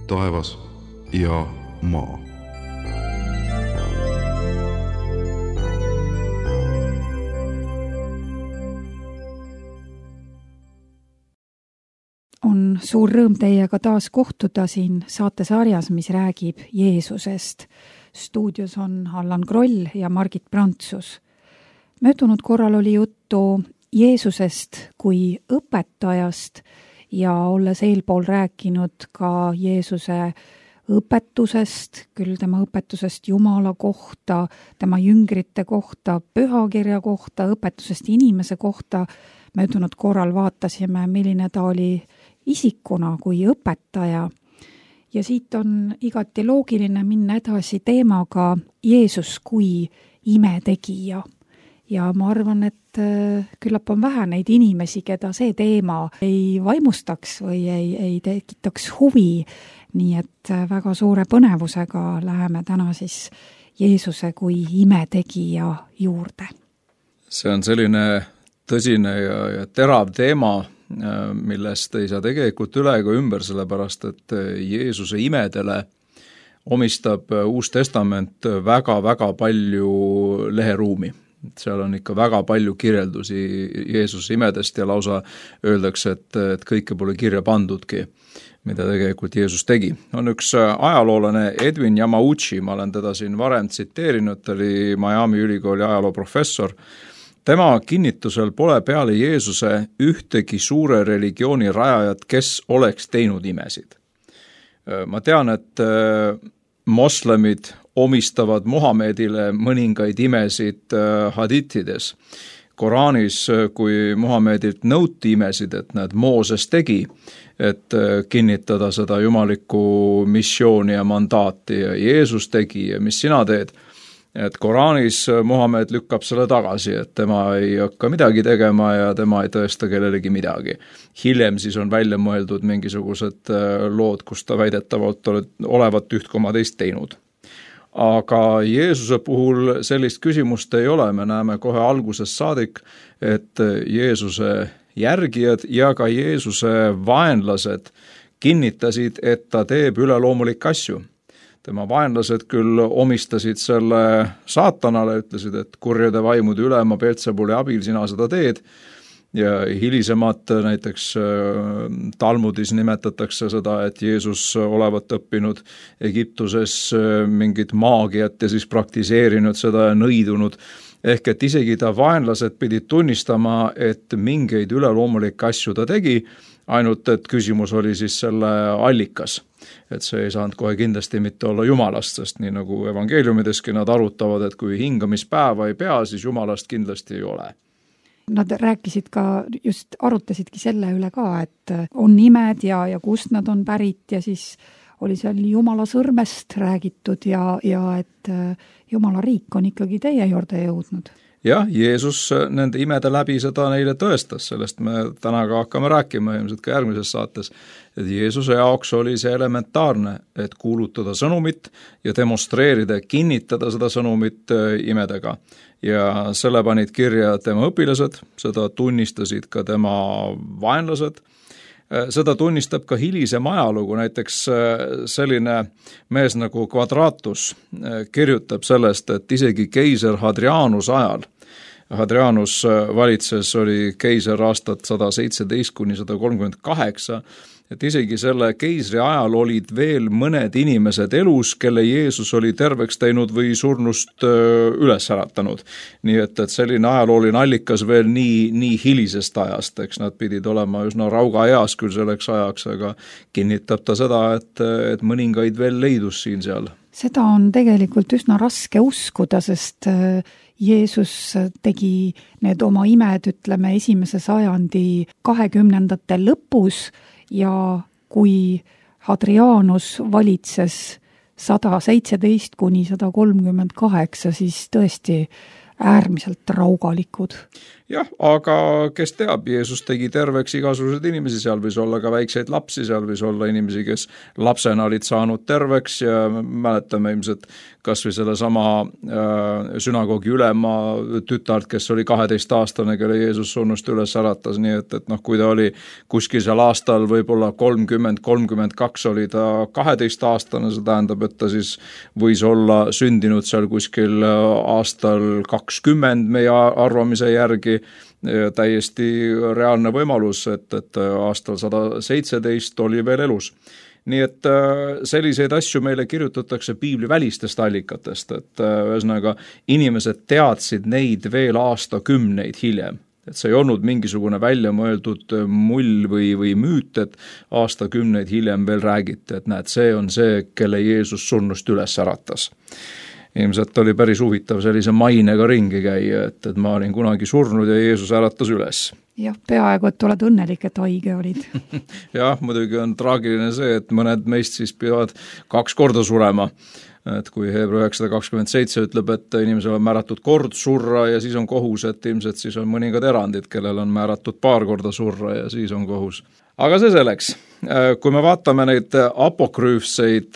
taevas ja maa. On suur rõõm teiega taas kohtuda siin saatesarjas, mis räägib Jeesusest. Stuudios on Allan Kroll ja Margit Prantsus. Möödunud korral oli juttu Jeesusest kui õpetajast ja olles eelpool rääkinud ka Jeesuse õpetusest, küll tema õpetusest Jumala kohta, tema jüngrite kohta, pühakirja kohta, õpetusest inimese kohta. Möödunud korral vaatasime, milline ta oli isikuna kui õpetaja. Ja siit on igati loogiline minna edasi teemaga Jeesus kui imetegija. Ja ma arvan, et küllap on vähe neid inimesi, keda see teema ei vaimustaks või ei tekitaks huvi. Nii et väga suure põnevusega läheme täna siis Jeesuse kui imetegija juurde. See on selline tõsine ja terav teema, millest ei saa tegelikult üle ega ümber, sellepärast et Jeesuse imedele omistab Uus Testament väga-väga palju leheruumi. Seal on ikka väga palju kirjeldusi Jeesuse imedest ja lausa öeldakse, et kõike pole kirja pandudki, mida tegelikult Jeesus tegi. On üks ajaloolane Edwin Yamauchi, ma olen teda siin varem tsiteerinud, ta oli Miami ülikooli ajalooprofessor. Tema kinnitusel pole peale Jeesuse ühtegi suure religiooni rajajat, kes oleks teinud imesid. Ma tean, et moslemid omistavad Muhamedile mõningaid imesid hadithides. Koraanis, kui Muhamedilt nõuti imesid, et näed, Mooses tegi, et kinnitada seda jumalikku missiooni ja mandaati ja Jeesus tegi ja mis sina teed, et Koraanis Muhamed lükkab selle tagasi, et tema ei hakka midagi tegema ja tema ei tõesta kellelegi midagi. Hiljem siis on välja mõeldud mingisugused lood, kus ta väidetavalt olevat 1,2 teinud. Aga Jeesuse puhul sellist küsimust ei ole, me näeme kohe algusest saadik, et Jeesuse järgijad ja ka Jeesuse vaenlased kinnitasid, et ta teeb üleloomulikke asju. Tema vaenlased küll omistasid selle saatanale, ütlesid, et kurjade vaimude ülema Beelzebuli abil sina seda teed. Ja hilisemad näiteks Talmudis nimetatakse seda, et Jeesus olevat õppinud Egiptuses mingit maagiat ja siis praktiseerinud seda ja nõidunud. Ehk et isegi ta vaenlased pidid tunnistama, et mingeid üleloomulikke asju ta tegi, ainult et küsimus oli siis selle allikas. Et see ei saanud kohe kindlasti mitte olla Jumalast, sest nii nagu evangeeliumideski nad arutavad, et kui hingamispäeva ei pea, siis Jumalast kindlasti ei ole. Nad rääkisid ka, just arutasidki selle üle ka, et on nimed ja kust nad on pärit ja siis oli seal Jumala sõrmest räägitud ja et Jumala riik on ikkagi teie juurde jõudnud. Jah, Jeesus nende imede läbi seda neile tõestas, sellest me täna ka hakkame rääkima ilmselt ka järgmises saates, et Jeesuse jaoks oli see elementaarne, et kuulutada sõnumit ja demonstreerida, kinnitada seda sõnumit imedega. Ja selle panid kirja tema õpilased, seda tunnistasid ka tema vaenlased, seda tunnistab ka hilisem ajalugu, näiteks selline mees nagu Quadratus kirjutab sellest, et isegi keiser Hadrianus ajal, Hadrianus valitses, oli keiser aastat 117–138, et isegi selle keisri ajal olid veel mõned inimesed elus, kelle Jeesus oli terveks teinud või surnust üles äratanud. Nii et selline ajalooline allikas veel nii hilisest ajast, eks nad pidid olema üsna rauga eas küll selleks ajaks, aga kinnitab ta seda, et mõningaid veel leidus siin seal. Seda on tegelikult üsna raske uskuda, sest Jeesus tegi need oma imed, ütleme, 1. sajandi 20. lõpus ja kui Hadrianus valitses 117–138, siis tõesti äärmiselt raugalikud. Jah, aga kes teab, Jeesus tegi terveks igasuguseid inimesi, seal võis olla ka väikseid lapsi, seal võis olla inimesi, kes lapsena olid saanud terveks ja mäletame ilmselt kas või selle sama sünagoogi ülema tütart, kes oli 12-aastane, kelle Jeesus surnust üles äratas, nii et kui ta oli kuskil seal aastal võib-olla 30-32 oli ta 12-aastane, see tähendab, et ta siis võis olla sündinud seal kuskil aastal 20 meie arvamise järgi, täiesti reaalne võimalus, et aastal 117 oli veel elus. Nii et selliseid asju meile kirjutatakse piibli välistest allikatest, et ühesõnaga inimesed teadsid neid veel aastakümneid hiljem. Et see ei olnud mingisugune välja mõeldud mull või müüt, et aastakümneid hiljem veel räägiti, et näed, see on see, kelle Jeesus surnust üles äratas. Ilmselt oli päris huvitav sellise mainega ringi käia, et ma olin kunagi surnud ja Jeesus äratas üles. Jah, peaaegu, et oled õnnelik, et haige olid. Jah, muidugi on traagiline see, et mõned meist siis peavad 2 korda surema. Et kui Hebra 927 ütleb, et inimesel on määratud kord surra ja siis on kohus, et ilmselt siis on mõningad erandid, kellel on määratud 2 korda surra ja siis on kohus. Aga see selleks. Kui me vaatame neid apokrüüfseid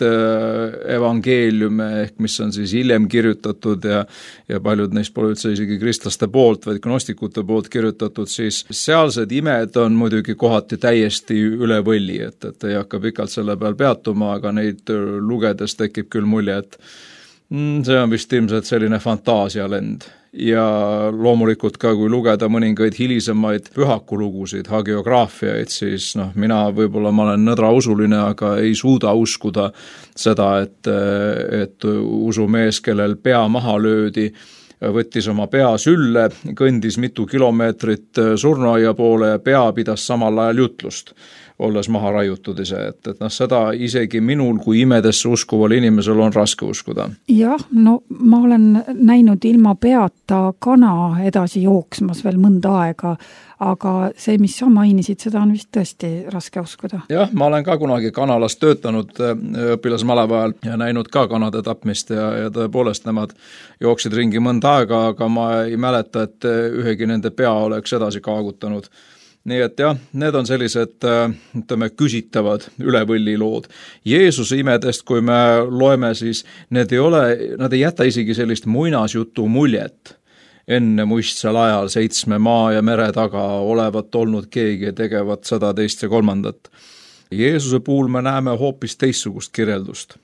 evangeeliume, ehk mis on siis hiljem kirjutatud ja paljud neist pole üldse isegi kristlaste poolt, vaid gnostikute poolt kirjutatud, siis sealsed imed on muidugi kohati täiesti üle võlli, et ei hakka pikalt selle peal peatuma, aga neid lugedes tekib küll mulje, et see on vist ilmselt selline fantaasialend. Ja loomulikult ka, kui lugeda mõningaid hilisemaid pühakulugusid, hagiograafiaid, siis mina võib-olla ma olen nõdrausuline, aga ei suuda uskuda seda, et usumees, kellel pea maha löödi, võttis oma pea sülle, kõndis mitu kilomeetrit surnuaia poole ja pea pidas samal ajal jutlust, olles maha raiutud ise, et seda isegi minul kui imedesse uskuval inimesel on raske uskuda. Jah, ma olen näinud ilma peata kana edasi jooksmas veel mõnda aega, aga see, mis sa mainisid, seda on vist tõesti raske uskuda. Jah, ma olen ka kunagi kanalas töötanud õpilasmaleva ajal ja näinud ka kanade tapmist ja tõepoolest nemad jooksid ringi mõnda aega, aga ma ei mäleta, et ühegi nende pea oleks edasi kaagutanud. Nii et jah, need on sellised, küsitavad ülevõlli lood. Jeesuse imedest, kui me loeme, siis nad ei jäta isegi sellist muinasjutu muljet. Enne muistsel ajal 7 maa ja mere taga olevat olnud keegi ja tegevat 100, 2 ja 3. Jeesuse puhul me näeme hoopis teistsugust kirjeldust.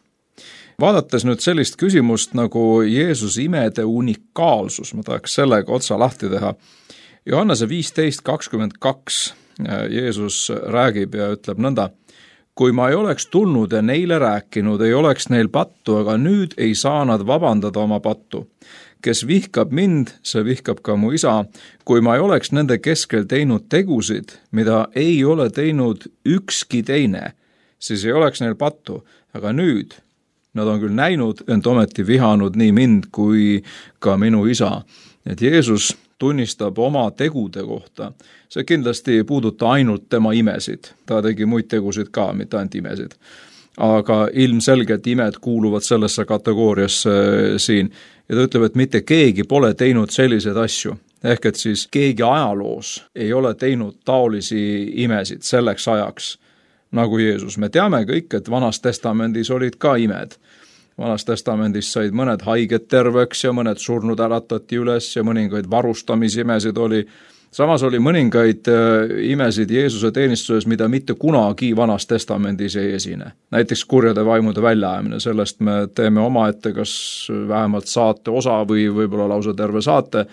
Vaadates nüüd sellist küsimust nagu Jeesuse imede unikaalsus, ma tahaks sellega otsa lahti teha. Johannese 15:22 Jeesus räägib ja ütleb nõnda, kui ma ei oleks tulnud ja neile rääkinud, ei oleks neil pattu, aga nüüd ei saa nad vabandada oma pattu. Kes vihkab mind, see vihkab ka mu isa. Kui ma ei oleks nende keskel teinud tegusid, mida ei ole teinud ükski teine, siis ei oleks neil pattu, aga nüüd nad on küll näinud, ent ometi vihanud nii mind kui ka minu isa. Et Jeesus tunnistab oma tegude kohta. See kindlasti ei puuduta ainult tema imesid. Ta tegi muid tegusid ka, mitte ainult imesid. Aga ilmselgelt imed kuuluvad sellesse kategooriasse siin. Ja ta ütleb, et mitte keegi pole teinud selliseid asju. Ehk et siis keegi ajaloos ei ole teinud taolisi imesid selleks ajaks nagu Jeesus. Me teame kõik, et Vanas Testamendis olid ka imed. Vanas Testamendis said mõned haiged terveks ja mõned surnud äratati üles ja mõningaid varustamisimesid oli. Samas oli mõningaid imesid Jeesuse teenistuses, mida mitte kunagi Vanas Testamendis ei esine. Näiteks kurjade vaimude väljaajamine, sellest me teeme omaette kas vähemalt saate osa või võib-olla lausa terve saate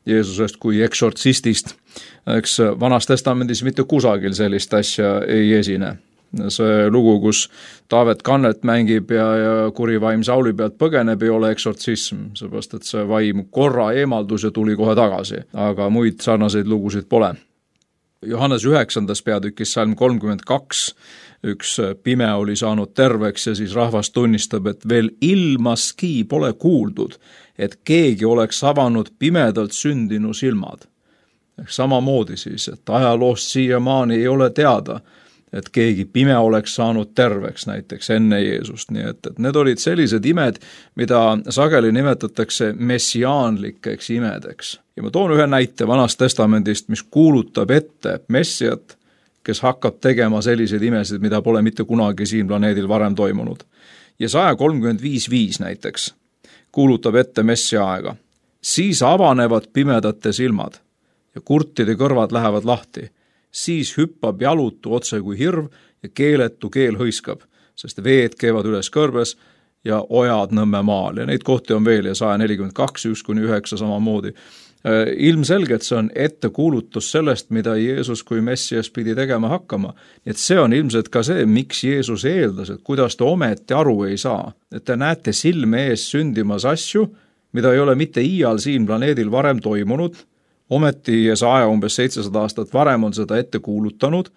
Jeesusest kui eksortsistist. Eks Vanas Testamendis mitte kusagil sellist asja ei esine. See lugu, kus Taavet Kannet mängib ja kuri vaim Sauli pealt põgeneb, ei ole eksortsism, seepärast et see vaim korra eemaldus ja tuli kohe tagasi, aga muid sarnaseid lugusid pole. Johannes 9. peatükis salm 32, üks pime oli saanud terveks ja siis rahvas tunnistab, et veel ilmaski pole kuuldud, et keegi oleks avanud pimedalt sündinu silmad. Samamoodi siis, et ajaloost siiamaani ei ole teada, et keegi pime oleks saanud terveks näiteks enne Jeesust, nii et need olid sellised imed, mida sageli nimetatakse messiaanlikeks imedeks. Ja ma toon ühe näite Vanast Testamendist, mis kuulutab ette Messiat, kes hakkab tegema selliseid imesid, mida pole mitte kunagi siin planeedil varem toimunud. Jesaja 35:5 näiteks kuulutab ette Messia aega. Siis avanevad pimedate silmad ja kurtide kõrvad lähevad lahti. Siis hüppab jalutu otse kui hirv ja keeletu keel hõiskab, sest veed keevad üles kõrbes ja ojad Nõmme maal. Ja neid kohti on veel ja 142, 1-9 samamoodi. Ilmselgelt see on ettekuulutus sellest, mida Jeesus kui Messias pidi tegema hakkama. Et see on ilmselt ka see, miks Jeesus eeldas, et kuidas te ometi aru ei saa. Et te näete silme ees sündimas asju, mida ei ole mitte iial siin planeedil varem toimunud, ometi Jesaja umbes 700 aastat varem on seda ette kuulutanud,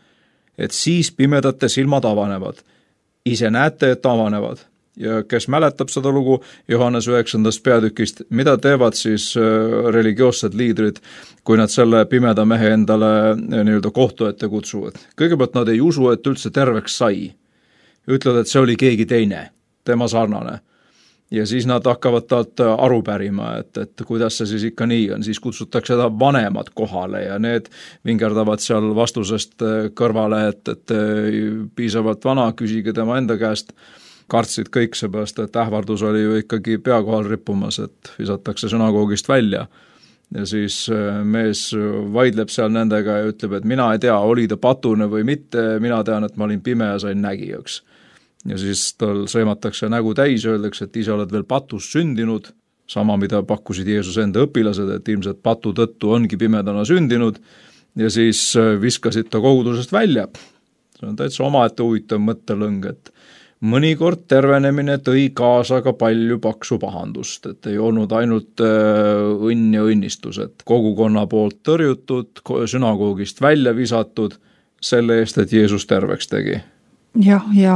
et siis pimedate silmad avanevad. Ise näete, et avanevad. Ja kes mäletab seda lugu Johannes 9. peatükist, mida teevad siis religioossed liidrid, kui nad selle pimeda mehe endale nii-öelda kohtu ette kutsuvad. Kõigepealt nad ei usu, et üldse terveks sai. Ütlevad, et see oli keegi teine, tema sarnane. Ja siis nad hakkavad talt aru pärima, et kuidas see siis ikka nii on. Siis kutsutakse seda vanemad kohale ja need vingerdavad seal vastusest kõrvale, et piisavalt vana, küsige tema enda käest. Kartsid kõik seepärast, et ähvardus oli ju ikkagi pea kohal rippumas, et visatakse sünagoogist välja. Ja siis mees vaidleb seal nendega ja ütleb, et mina ei tea, oli ta patune või mitte, mina tean, et ma olin pime ja sain nägijaks. Ja siis tal sõimatakse nägu täis ja öeldakse, et ise oled veel patus sündinud, sama mida pakkusid Jeesus enda õpilased, et ilmselt patu tõttu ongi pimedana sündinud ja siis viskasid ta kogudusest välja. See on täitsa omaette huvitav mõttelõng, et mõnikord tervenemine tõi kaasa ka palju paksu pahandust, et ei olnud ainult õnn ja õnnistus, et kogukonna poolt tõrjutud, sünagoogist välja visatud selle eest, et Jeesus terveks tegi. Jah, ja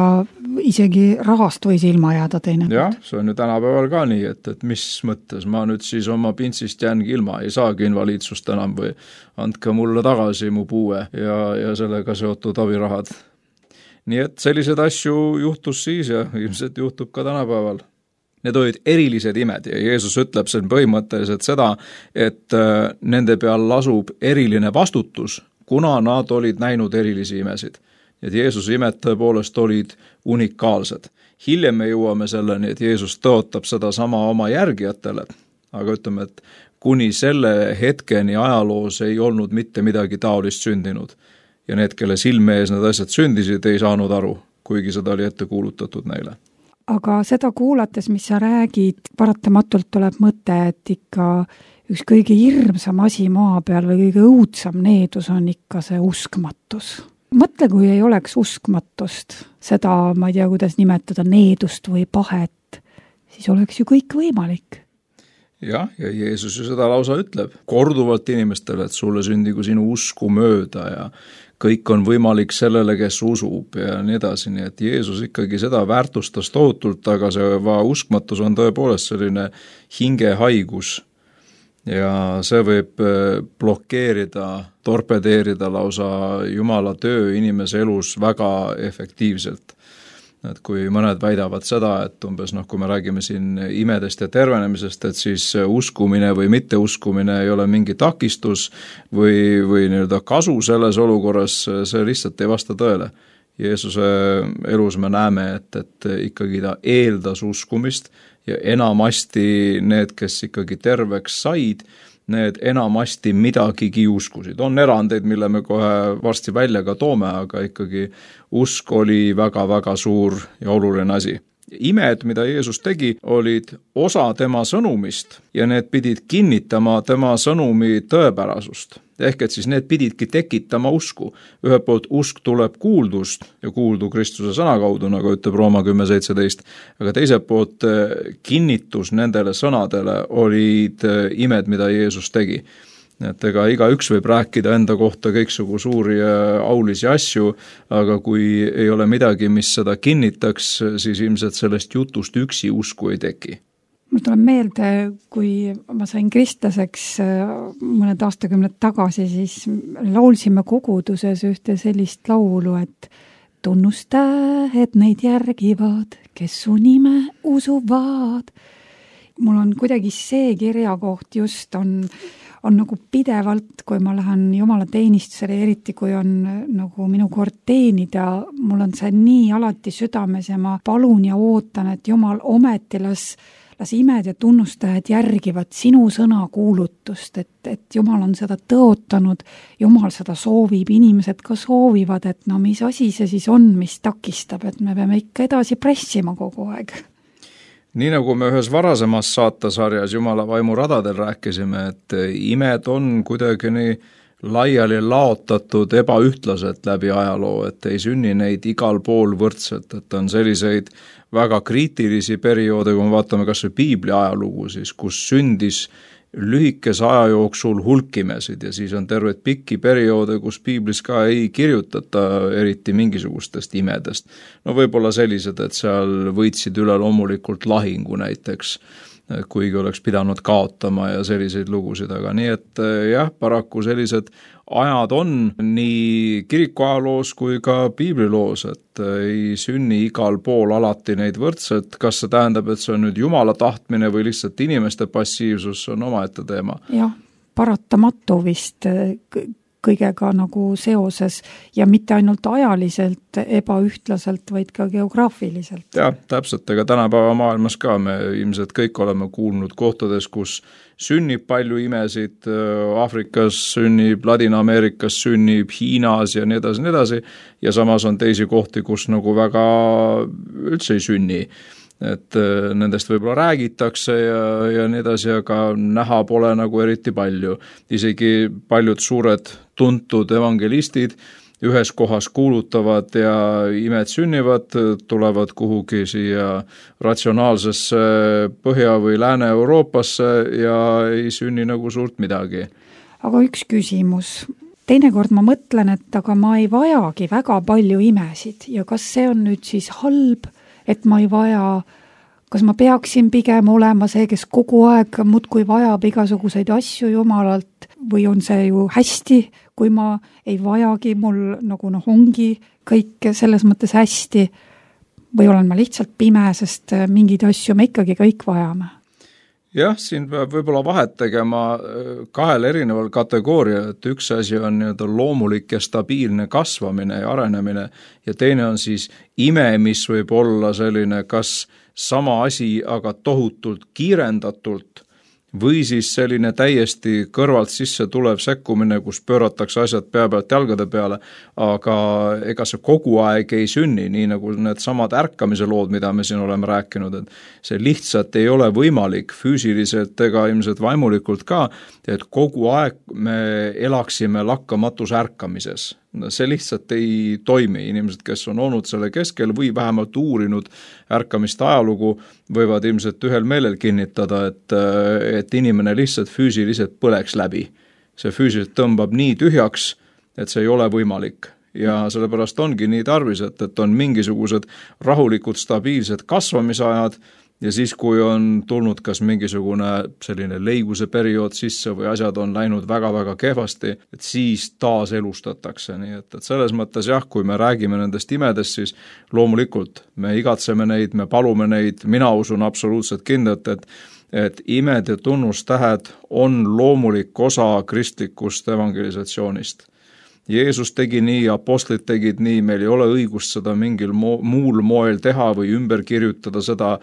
isegi rahast võis ilma jääda teine. Jah, see on ju tänapäeval ka nii, et mis mõttes ma nüüd siis oma pintsist jäängi ilma, ei saagi invaliidsust enam või andke mulle tagasi mu puue ja sellega seotud abirahad. Nii et sellised asju juhtus siis ja ilmselt juhtub ka tänapäeval. Need olid erilised imed ja Jeesus ütleb sen põhimõtteliselt seda, et nende peal lasub eriline vastutus, kuna nad olid näinud erilisi imesid. Et Jeesuse imed tõepoolest olid unikaalsed. Hiljem me jõuame selleni, et Jeesus tõotab seda sama oma järgijatele, aga ütleme, et kuni selle hetkeni ajaloos ei olnud mitte midagi taolist sündinud. Ja need, kelle silme ees need asjad sündisid, ei saanud aru, kuigi seda oli ette kuulutatud neile. Aga seda kuulates, mis sa räägid, paratamatult tuleb mõte, et ikka üks kõige hirmsam asi maa peal või kõige õudsam needus on ikka see uskmatus. Mõtle, kui ei oleks uskmatust, seda, ma ei tea, kuidas nimetada, needust või pahet, siis oleks ju kõik võimalik. Jah, ja Jeesus ju seda lausa ütleb korduvalt inimestele, et sulle sündigu sinu usku mööda ja kõik on võimalik sellele, kes usub ja nii edasi, nii et Jeesus ikkagi seda väärtustas tohutult, aga see uskmatus on tõepoolest selline hingehaigus ja see võib blokeerida, torpedeerida lausa Jumala töö inimese elus väga efektiivselt. Et kui mõned väidavad seda, et umbes kui me räägime siin imedest ja tervenemisest, et siis uskumine või mitteuskumine ei ole mingi takistus või nii-öelda kasu selles olukorras, see lihtsalt ei vasta tõele. Jeesuse elus me näeme, et ikkagi ta eeldas uskumist ja enamasti need, kes ikkagi terveks said, need enamasti midagigi uskusid. On erandeid, mille me kohe varsti välja ka toome, aga ikkagi usk oli väga-väga suur ja oluline asi. Imed, mida Jeesus tegi, olid osa tema sõnumist ja need pidid kinnitama tema sõnumi tõepärasust. Ehk et siis need pididki tekitama usku. Ühelt poolt usk tuleb kuuldust ja kuuldu Kristuse sõna kaudu, nagu ütleb Rooma 10.17, aga teiselt poolt kinnitus nendele sõnadele olid imed, mida Jeesus tegi. Et ega igaüks võib rääkida enda kohta kõiksugu suuri aulisi asju, aga kui ei ole midagi, mis seda kinnitaks, siis ilmselt sellest jutust üksi usku ei teki. Mul tuleb meelde, kui ma sain kristlaseks mõned aastakümned tagasi, siis laulsime koguduses ühte sellist laulu, et tunnustähed neid järgivad, kes su nime usuvad. Mul on kuidagi see kirjakoht just on nagu pidevalt, kui ma lähen Jumala teenistusele, eriti kui on nagu minu kord teenida, mul on see nii alati südames ja ma palun ja ootan, et Jumal ometi las imed ja tunnustajad järgivad sinu sõna kuulutust, et Jumal on seda tõotanud, Jumal seda soovib, inimesed ka soovivad, et no mis asi see siis on, mis takistab, et me peame ikka edasi pressima kogu aeg. Nii nagu me ühes varasemas saatesarjas Jumala vaimu radadel rääkisime, et imed on kuidagi nii laiali laotatud ebaühtlaselt läbi ajaloo, et ei sünni neid igal pool võrdselt, et on selliseid väga kriitilisi perioode, kui me vaatame kas või Piibli ajalugu, siis kus sündis lühikese aja jooksul hulkimesid ja siis on terved pikki perioode, kus Piiblis ka ei kirjutata eriti mingisugustest imedest. No võib-olla sellised, et seal võitsid üle loomulikult lahingu näiteks, kuigi oleks pidanud kaotama ja selliseid lugusid, aga nii, et jah, paraku sellised ajad on nii kirikuajaloos kui ka piibliloos, et ei sünni igal pool alati neid võrdselt. Kas see tähendab, et see on nüüd Jumala tahtmine või lihtsalt inimeste passiivsus, on omaette teema? Jah, paratamatu vist kõigega nagu seoses ja mitte ainult ajaliselt ebaühtlaselt, vaid ka geograafiliselt. Jah, täpselt, ega tänapäeva maailmas ka me ilmselt kõik oleme kuulnud kohtades, kus sünnib palju imesid, Aafrikas sünnib, Ladina-Ameerikas sünnib, Hiinas ja nii edasi, ja samas on teisi kohti, kus nagu väga üldse ei sünni. Et nendest võib-olla räägitakse ja nii edasi, aga näha pole nagu eriti palju. Isegi paljud suured tuntud evangelistid ühes kohas kuulutavad ja imed sünnivad, tulevad kuhugi siia ratsionaalsesse Põhja- või Lääne-Euroopasse ja ei sünni nagu suurt midagi. Aga üks küsimus. Teinekord ma mõtlen, et aga ma ei vajagi väga palju imesid ja kas see on nüüd siis halb, et ma ei vaja, kas ma peaksin pigem olema see, kes kogu aeg muudkui vajab igasuguseid asju Jumalalt või on see ju hästi, kui ma ei vajagi, mul nagu ongi kõik selles mõttes hästi või olen ma lihtsalt pime, sest mingeid asju me ikkagi kõik vajame? Jah, siin peab võib-olla vahet tegema kahel erineval kategooria, et üks asi on nii-öelda loomulik ja stabiilne kasvamine ja arenemine ja teine on siis ime, mis võib olla selline kas sama asi, aga tohutult kiirendatult või siis selline täiesti kõrvalt sisse tulev sekkumine, kus pööratakse asjad pea pealt jalgade peale, aga ega see kogu aeg ei sünni, nii nagu need samad ärkamise lood, mida me siin oleme rääkinud, et see lihtsalt ei ole võimalik füüsiliselt ega ilmselt vaimulikult ka, et kogu aeg me elaksime lakkamatus ärkamises. See lihtsalt ei toimi. Inimesed, kes on olnud selle keskel või vähemalt uurinud ärkamist ajalugu, võivad ilmselt ühel meelel kinnitada, et inimene lihtsalt füüsiliselt põleks läbi. See füüsiliselt tõmbab nii tühjaks, et see ei ole võimalik. Ja sellepärast ongi nii tarvis, et on mingisugused rahulikud, stabiilsed kasvamisajad, ja siis, kui on tulnud kas mingisugune selline leiguse periood sisse või asjad on läinud väga-väga kehvasti, et siis taas elustatakse. Nii et selles mõttes jah, kui me räägime nendest imedest, siis loomulikult me igatseme neid, me palume neid, mina usun absoluutselt kindlalt, et imed ja tunnustähed on loomulik osa kristlikust evangelisatsioonist. Jeesus tegi nii, apostlid tegid nii, meil ei ole õigust seda mingil muul moel teha või ümber kirjutada seda,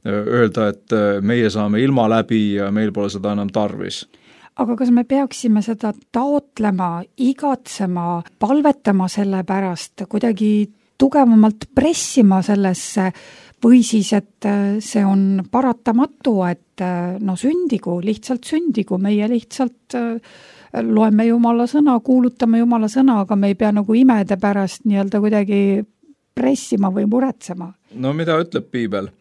öelda, et meie saame ilma läbi ja meil pole seda enam tarvis. Aga kas me peaksime seda taotlema, igatsema, palvetama selle pärast, kuidagi tugevamalt pressima sellesse või siis, et see on paratamatu, et sündigu, lihtsalt sündigu, meie lihtsalt loeme Jumala sõna, kuulutame Jumala sõna, aga me ei pea nagu imede pärast nii-öelda kuidagi pressima või muretsema. No mida ütleb Piibel?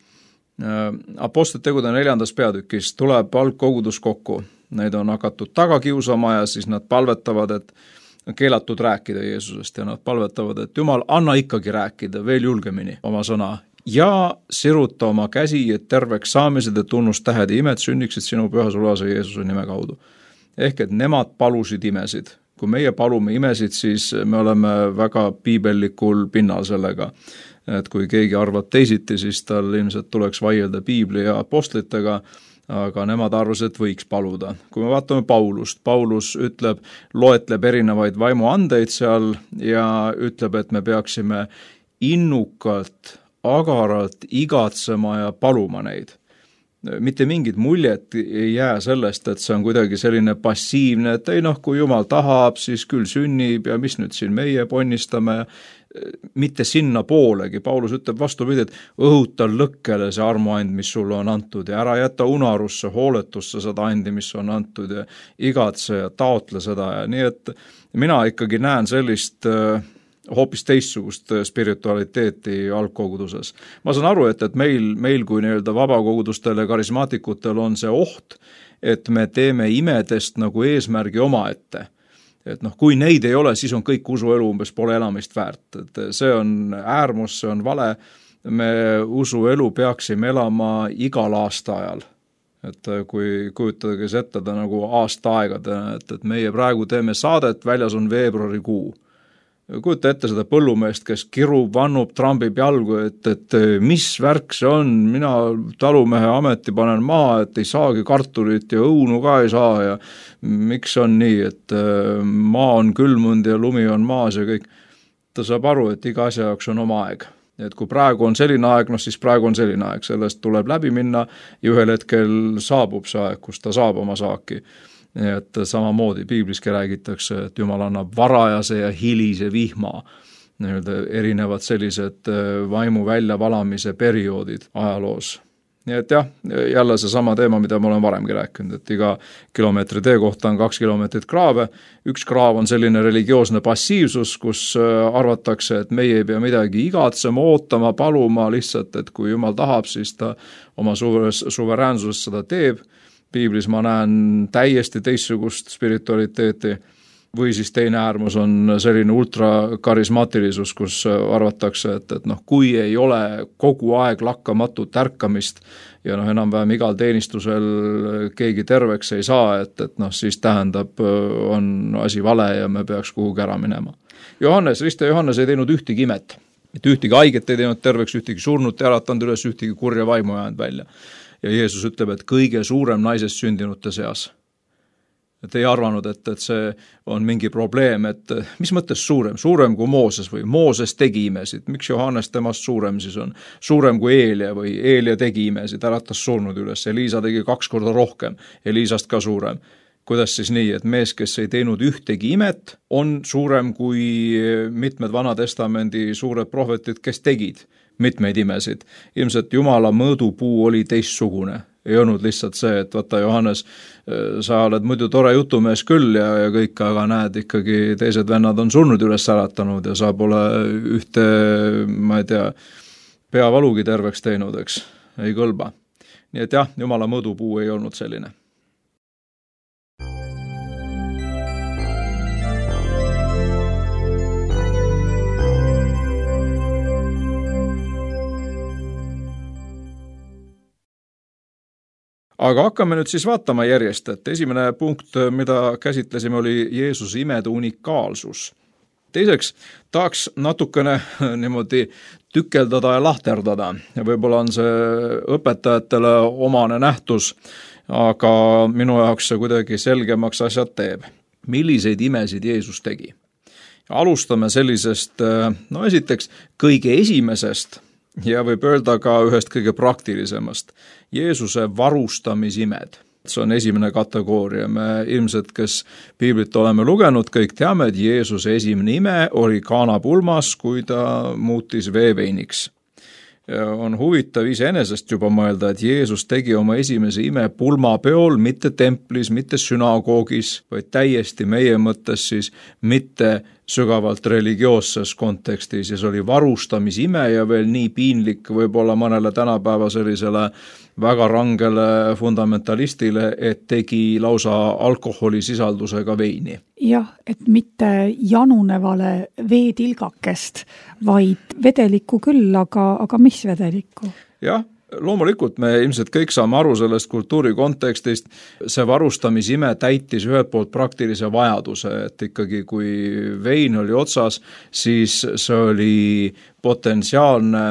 Apostlite tegude 4. peatükis tuleb algkogudus kokku. Neid on hakatud taga kiusama ja siis nad palvetavad, et keelatud rääkida Jeesusest ja nad palvetavad, et Jumal, anna ikkagi rääkida veel julgemini oma sõna. ja siruta oma käsi, et terveks saamised ja tunnustähed ja imed sünniksid sinu püha sulase Jeesuse nime kaudu. Ehk et nemad palusid imesid. Kui meie palume imesid, siis me oleme väga piibellikul pinnal sellega. Et kui keegi arvab teisiti, siis tal ilmselt tuleks vaielda piibli ja apostlitega, aga nemad arvasid, et võiks paluda. Kui me vaatame Paulus loetleb erinevaid vaimuandeid seal ja ütleb, et me peaksime innukalt, agaralt igatsema ja paluma neid. Mitte mingit muljet ei jää sellest, et see on kuidagi selline passiivne, et ei kui Jumal tahab, siis küll sünnib ja mis nüüd siin meie ponnistame, mitte sinna poolegi. Paulus ütleb vastupidi, et õhuta lõkkele see armuand, mis sulle on antud ja ära jäta unarusse, hooletusse seda andi, mis on antud ja igatse ja taotle seda ja nii, et mina ikkagi näen sellist hoopis teistsugust spiritualiteeti algkoguduses. Ma saan aru, et meil kui nii-öelda vabakogudustel ja karismaatikutel on see oht, et me teeme imedest nagu eesmärgi omaette. Et kui neid ei ole, siis on kõik usuelu umbes pole elamist väärt. Et see on äärmus, see on vale. Me usuelu peaksime elama igal aastaajal. Et kui kujutage ette nagu aastaaegadena, et meie praegu teeme saadet, väljas on veebruarikuu. Kujuta ette seda põllumeest, kes kirub, vannub, trambib jalgu, et mis värk see on, mina talumehe ameti panen maha, et ei saagi kartulit ja õunu ka ei saa ja miks on nii, et maa on külmunud ja lumi on maas ja kõik. Ta saab aru, et iga asja jaoks on oma aeg. Et kui praegu on selline aeg, siis praegu on selline aeg, sellest tuleb läbi minna ja ühel hetkel saabub see aeg, kus ta saab oma saaki. Et samamoodi piibliski räägitakse, et Jumal annab varajase ja hilise vihma, erinevad sellised vaimu väljavalamise perioodid ajaloos. Nii et jah, jälle see sama teema, mida ma olen varemgi rääkinud, et iga kilomeetri tee kohta on 2 kilomeetrit kraave. Üks kraav on selline religioosne passiivsus, kus arvatakse, et meie ei pea midagi igatsema, ootama, paluma lihtsalt, et kui Jumal tahab, siis ta oma suveräänsuses seda teeb. Piiblis ma näen täiesti teistsugust spiritualiteeti või siis teine äärmus on selline ultrakarismaatilisus, kus arvatakse, et kui ei ole kogu aeg lakkamatut ärkamist ja enam-vähem igal teenistusel keegi terveks ei saa, et siis tähendab, on asi vale ja me peaks kuhugi ära minema. Riste Johannes ei teinud ühtegi imet, mitte ühtegi haiget ei teinud terveks, ühtegi surnut ei äratanud üles, ühtegi kurja vaimu jäänud välja. Ja Jeesus ütleb, et kõige suurem naisest sündinute seas. Et ei arvanud, et see on mingi probleem, et mis mõttes suurem? Suurem kui Mooses või Mooses tegi imesid. Miks Johannes temast suurem siis on? Suurem kui Eelia või Eelia tegi imesid, äratas surnud üles. Eliisa tegi 2 korda rohkem, Eliisast ka suurem. Kuidas siis nii, et mees, kes ei teinud ühtegi imet, on suurem kui mitmed Vanatestamendi suured prohvetid, kes tegid mitmeid imesid. Ilmselt Jumala mõõdupuu oli teistsugune. Ei olnud lihtsalt see, et vaata Johannes, sa oled muidu tore jutumees küll ja kõik, aga näed ikkagi teised vennad on surnud üles äratanud ja sa pole ühte, ma ei tea, peavalugi terveks teinud, eks, ei kõlba. Nii et jah, Jumala mõõdupuu ei olnud selline. Aga hakkame nüüd siis vaatama järjest, et esimene punkt, mida käsitlesime, oli Jeesuse imede unikaalsus. Teiseks tahaks natukene niimoodi tükeldada ja lahterdada. Ja võib-olla on see õpetajatele omane nähtus, aga minu jaoks see kuidagi selgemaks asjad teeb. Milliseid imesid Jeesus tegi? Alustame sellisest, esiteks kõige esimesest ja võib öelda ka ühest kõige praktilisemast. Jeesuse varustamisimed. See on esimene kategooria. Me ilmselt, kes piiblit oleme lugenud, kõik teame, et Jeesuse esimene ime oli Kaana pulmas, kui ta muutis veeveiniks. On huvitav iseenesest juba mõelda, et Jeesus tegi oma esimese ime pulmapeol, mitte templis, mitte sünagoogis, vaid täiesti meie mõttes siis mitte sügavalt religioosses kontekstis ja see oli varustamisime ja veel nii piinlik võib-olla mõnele tänapäeva sellisele väga rangele fundamentalistile, et tegi lausa alkoholisisaldusega veini. Jah, et mitte janunevale veetilgakest, vaid vedelikku küll, aga mis vedelikku? Jah, loomulikult me ilmselt kõik saame aru sellest kultuuri kontekstist, see varustamisime täitis ühelt poolt praktilise vajaduse, et ikkagi kui vein oli otsas, siis see oli potentsiaalne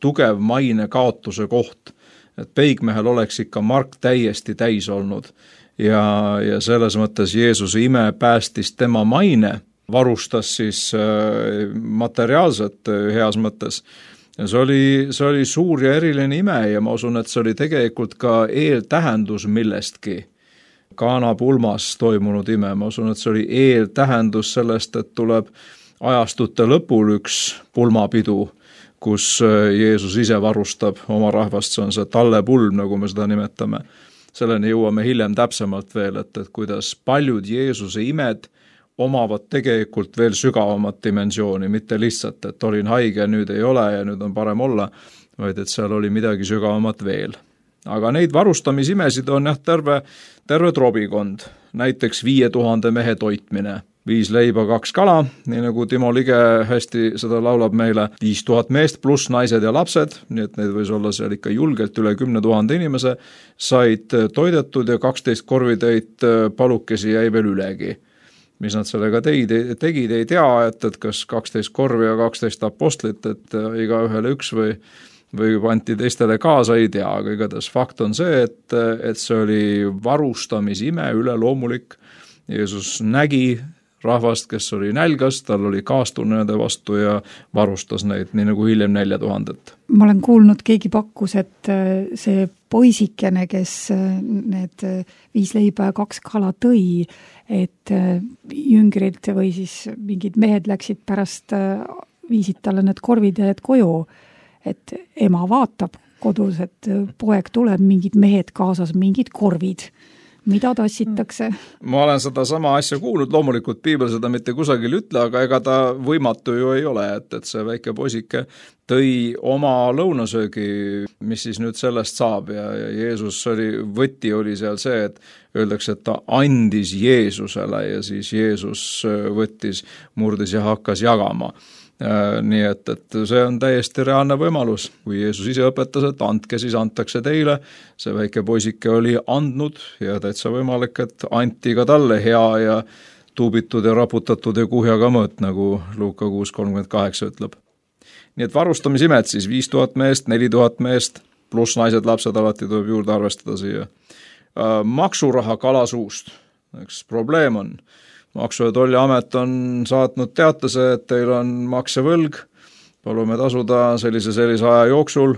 tugev maine kaotuse koht, et peigmehel oleks ikka mark täiesti täis olnud ja selles mõttes Jeesuse ime päästis tema maine, varustas siis materiaalset heas mõttes. Ja see oli suur ja eriline ime ja ma usun, et see oli tegelikult ka eeltähendus millestki. Kaana pulmas toimunud ime, ma usun, et see oli eeltähendus sellest, et tuleb ajastute lõpul üks pulmapidu, kus Jeesus ise varustab oma rahvast, see on see tallepulm, nagu me seda nimetame. Selleni jõuame hiljem täpsemalt veel, et kuidas paljud Jeesuse imed omavad tegelikult veel sügavamat dimensiooni, mitte lihtsalt, et olin haige, nüüd ei ole ja nüüd on parem olla, vaid et seal oli midagi sügavamat veel. Aga neid varustamisimesid on terve trobikond, näiteks 5000 mehe toitmine, 5 leiba, 2 kala, nii nagu Timo Lige hästi seda laulab meile, 5000 meest pluss naised ja lapsed, nii et neid võis olla seal ikka julgelt üle 10 000 inimese, said toidetud ja 12 korvitäit palukesi jäi veel ülegi. Mis nad sellega tegid, ei tea, et kas 12 korvi ja 12 apostlit, et iga ühele üks või panti teistele kaasa, ei tea, aga igatahes fakt on see, et see oli varustamisime üleloomulik. Jeesus nägi rahvast, kes oli nälgas, tal oli kaastunne nende vastu ja varustas neid, nii nagu hiljem 4000. Ma olen kuulnud, keegi pakkus, et see poisikene, kes need 5 leiba ja 2 kala tõi, et jüngrid või siis mingid mehed läksid pärast, viisid talle need korvid ja koju, et ema vaatab kodus, et poeg tuleb, mingid mehed kaasas, mingid korvid. Mida tassitakse? Ma olen seda sama asja kuulnud, loomulikult piibel seda mitte kusagil ütle, aga ega ta võimatu ju ei ole, et see väike poisike tõi oma lõunasöögi, mis siis nüüd sellest saab ja Jeesus võti oli seal see, et öeldakse, et ta andis Jeesusele ja siis Jeesus võttis, murdis ja hakkas jagama. Nii et see on täiesti reaalne võimalus, kui Jeesus ise õpetas, et andke, siis antakse teile, see väike poisike oli andnud ja täitsa võimalik, et anti ka talle hea ja tuubitud ja raputatud ja kuhjaga mõõt, nagu Luuka 6:38 ütleb. Nii et varustamis'imed siis 5000 meest, 4000 meest, pluss naised, lapsed alati tuleb juurde arvestada siia. Maksuraha kalasuust, eks probleem on. Maksu- ja Tolliamet on saatnud teatase, et teil on maksevõlg, palume tasuda sellise aja jooksul.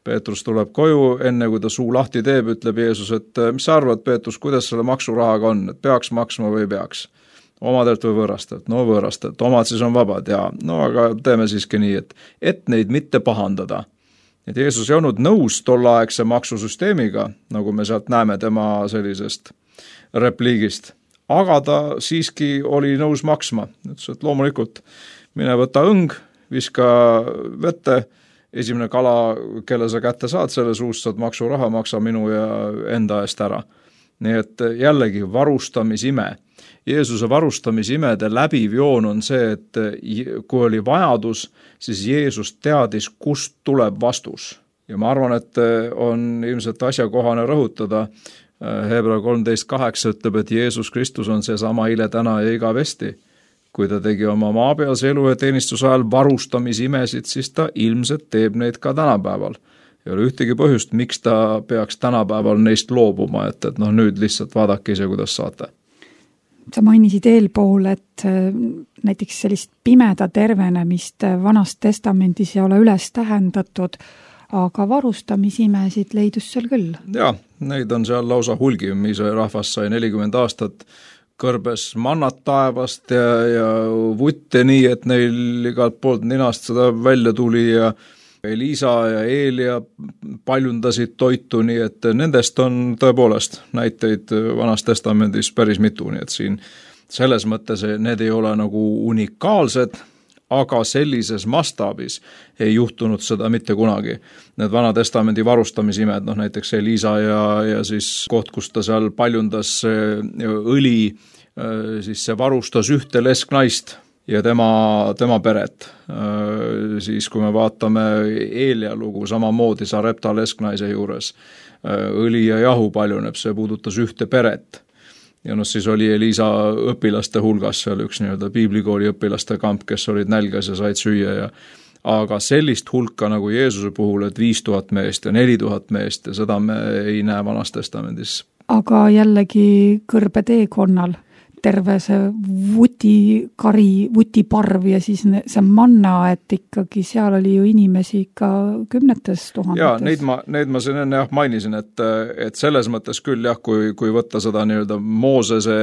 Peetrus tuleb koju, enne kui ta suu lahti teeb, ütleb Jeesus, et mis sa arvad, Peetrus, kuidas selle maksurahaga on, et peaks maksma või peaks? Omadelt või võõrastelt? No võõrastelt, omad siis on vabad ja no aga teeme siiski nii, et neid mitte pahandada. Et Jeesus ei olnud nõus tolleaegse maksusüsteemiga, nagu me sealt näeme tema sellisest repliigist. Aga ta siiski oli nõus maksma. Ütles, et loomulikult mine võta õng, viska vette, esimene kala, kelle sa kätte saad, selle suust saad maksuraha, maksa minu ja enda eest ära. Nii et jällegi varustamisime. Jeesuse varustamisimede läbiv joon on see, et kui oli vajadus, siis Jeesus teadis, kust tuleb vastus. Ja ma arvan, et on ilmselt asjakohane rõhutada, Hebra 13:8 ütleb, et Jeesus Kristus on see sama eile, täna ja igavesti. Kui ta tegi oma maapealse elu ja teenistuse ajal varustamisimesid, siis ta ilmselt teeb neid ka tänapäeval. Ei ole ühtegi põhjust, miks ta peaks tänapäeval neist loobuma, et nüüd lihtsalt vaadake ise, kuidas saate. Sa mainisid eelpool, et näiteks sellist pimeda tervenemist Vanast testamendis ei ole üles tähendatud, aga varustamisimesid leidus seal küll. Jaa, neid on seal lausa hulgi, mis rahvas sai 40 aastat, kõrbes mannat taevast ja vutte nii, et neil igalt poolt ninast seda välja tuli ja Elisa ja Eelia paljundasid toitu, nii et nendest on tõepoolest näiteid Vanas testamendis päris mitu, nii et siin selles mõttes need ei ole nagu unikaalsed, aga sellises mastaabis ei juhtunud seda mitte kunagi. Need Vana-testamendi varustamisimed, näiteks Elisa ja siis koht, kus ta seal paljundas õli, siis see varustas ühte lesknaist ja tema peret. Siis kui me vaatame Eelia lugu, samamoodi Sarepta lesknaise juures, õli ja jahu paljuneb, see puudutas ühte peret. Ja siis oli Elisa õpilaste hulgas seal üks piiblikooli õpilaste kamp, kes olid nälgas ja said süüa. Aga sellist hulka nagu Jeesuse puhul, et 5000 meest ja 4000 meest ja seda me ei näe Vanas testamendis. Aga jällegi kõrbe teekonnal terve see vutiparv ja siis see manna, et ikkagi seal oli ju inimesi ikka 10 000. Ja, neid ma siin enne mainisin, et selles mõttes küll kui võtta seda Moosese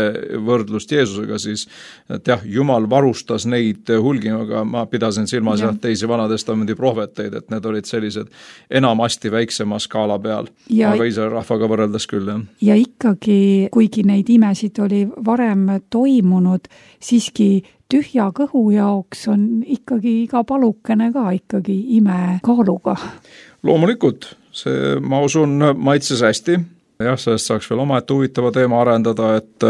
võrdlust Jeesusega, siis et Jumal varustas neid hulgimaga, ma pidasin silmas teisi Vanatestamendi prohveteid, et need olid sellised enamasti väiksema skaala peal, aga Iisraeli rahvaga võrreldes küll. Ja ikkagi, kuigi neid imesid oli varem toimunud, siiski tühja kõhu jaoks on ikkagi iga palukene ka ikkagi ime kaaluga. Loomulikult, see ma usun maitses hästi. Sellest saaks veel omaette huvitava teema arendada, et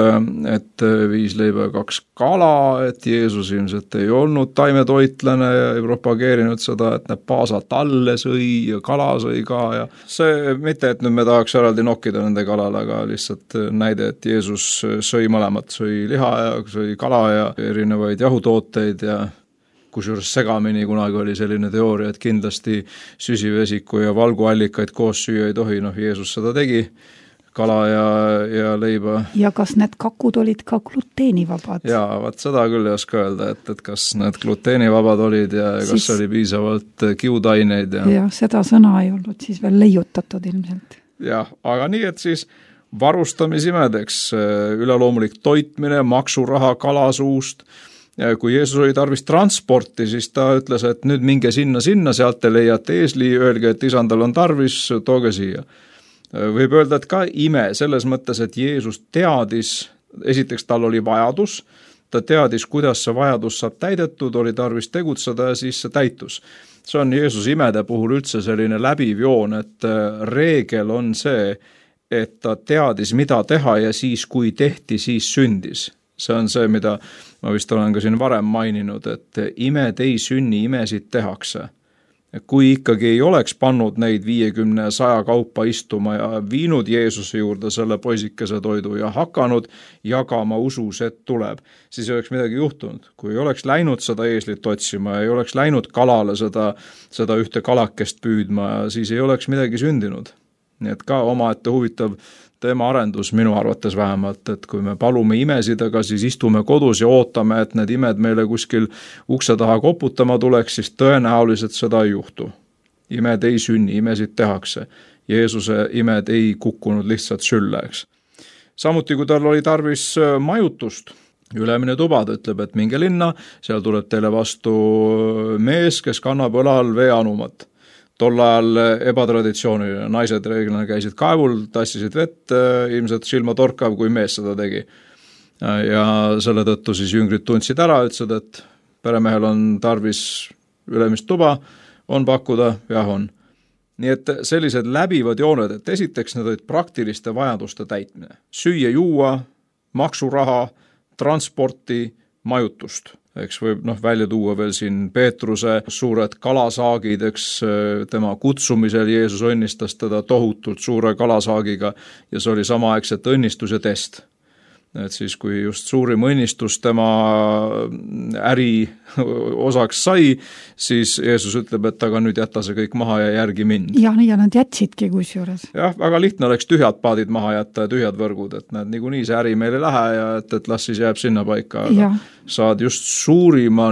5 leiba ja 2 kala, et Jeesus ilmselt ei olnud taimetoitlane ja ei propageerinud seda, et need paasa talle sõi ja kala sõi ka. Ja see mitte, et nüüd me tahaks eraldi nokkida nende kalale, aga lihtsalt näide, et Jeesus sõi mõlemat, sõi liha ja sõi kala ja erinevaid jahutooteid ja kusjuures segamini kunagi oli selline teooria, et kindlasti süsivesiku ja valguallikaid koos süüa ei tohi, Jeesus seda tegi, kala ja leiba. Ja kas need kakud olid ka gluteenivabad? Jaa, seda küll ei oska öelda, et kas need gluteenivabad olid ja kas oli piisavalt kiudaineid. Ja seda sõna ei olnud siis veel leiutatud ilmselt. Jah, aga nii, et siis varustamisimedeks üleloomulik toitmine, maksuraha kalasuust. Ja kui Jeesus oli tarvis transporti, siis ta ütles, et nüüd minge sinna, sealt te leiate eesli, öelge, et isandal on tarvis, tooge siia. Võib öelda, et ka ime selles mõttes, et Jeesus teadis, esiteks tal oli vajadus, ta teadis, kuidas see vajadus saab täidetud, oli tarvis tegutseda ja siis see täitus. See on Jeesus imede puhul üldse selline läbiv joon, et reegel on see, et ta teadis, mida teha ja siis, kui tehti, siis sündis. See on see, mida ma vist olen ka siin varem maininud, et imed ei sünni, imesid tehakse. Kui ikkagi ei oleks pannud neid 50-100 kaupa istuma ja viinud Jeesuse juurde selle poisikese toidu ja hakanud jagama usus, et tuleb, siis ei oleks midagi juhtunud. Kui ei oleks läinud seda eeslit otsima ja ei oleks läinud kalale seda ühte kalakest püüdma, siis ei oleks midagi sündinud. Nii et ka omaette huvitav teema arendus minu arvates vähemalt, et kui me palume imesid, aga siis istume kodus ja ootame, et need imed meile kuskil ukse taha koputama tuleks, siis tõenäoliselt seda ei juhtu. Imed ei sünni, imesid tehakse. Jeesuse imed ei kukkunud lihtsalt sülle, eks. Samuti, kui tal oli tarvis majutust, ülemine tuba, ta ütleb, et minge linna, seal tuleb teile vastu mees, kes kannab õlal veeanumat. Tol ajal ebatraditsiooniline, naised reeglina käisid kaevul, tassisid vett, ilmselt silma torkav, kui mees seda tegi. Ja selle tõttu siis jüngrid tundsid ära, ütlesid, et peremehel on tarvis ülemist tuba, on pakkuda, jah on. Nii et sellised läbivad jooned, et esiteks need olid praktiliste vajaduste täitmine. Süüa, juua, maksuraha, transporti, majutust. Eks võib välja tuua veel siin Peetruse suured kalasaagid, eks tema kutsumisel Jeesus õnnistas teda tohutult suure kalasaagiga ja see oli samaaegselt õnnistus ja test. Et siis, kui just suurim õnnistus tema äri osaks sai, siis Jeesus ütleb, et aga nüüd jätta see kõik maha ja järgi mind. Ja nad jätsidki kusjuures. Jah, väga lihtne oleks tühjad paadid maha jätta ja tühjad võrgud, et need niikuinii see äri meil ei lähe ja et las siis jääb sinna paika. Aga saad just suurima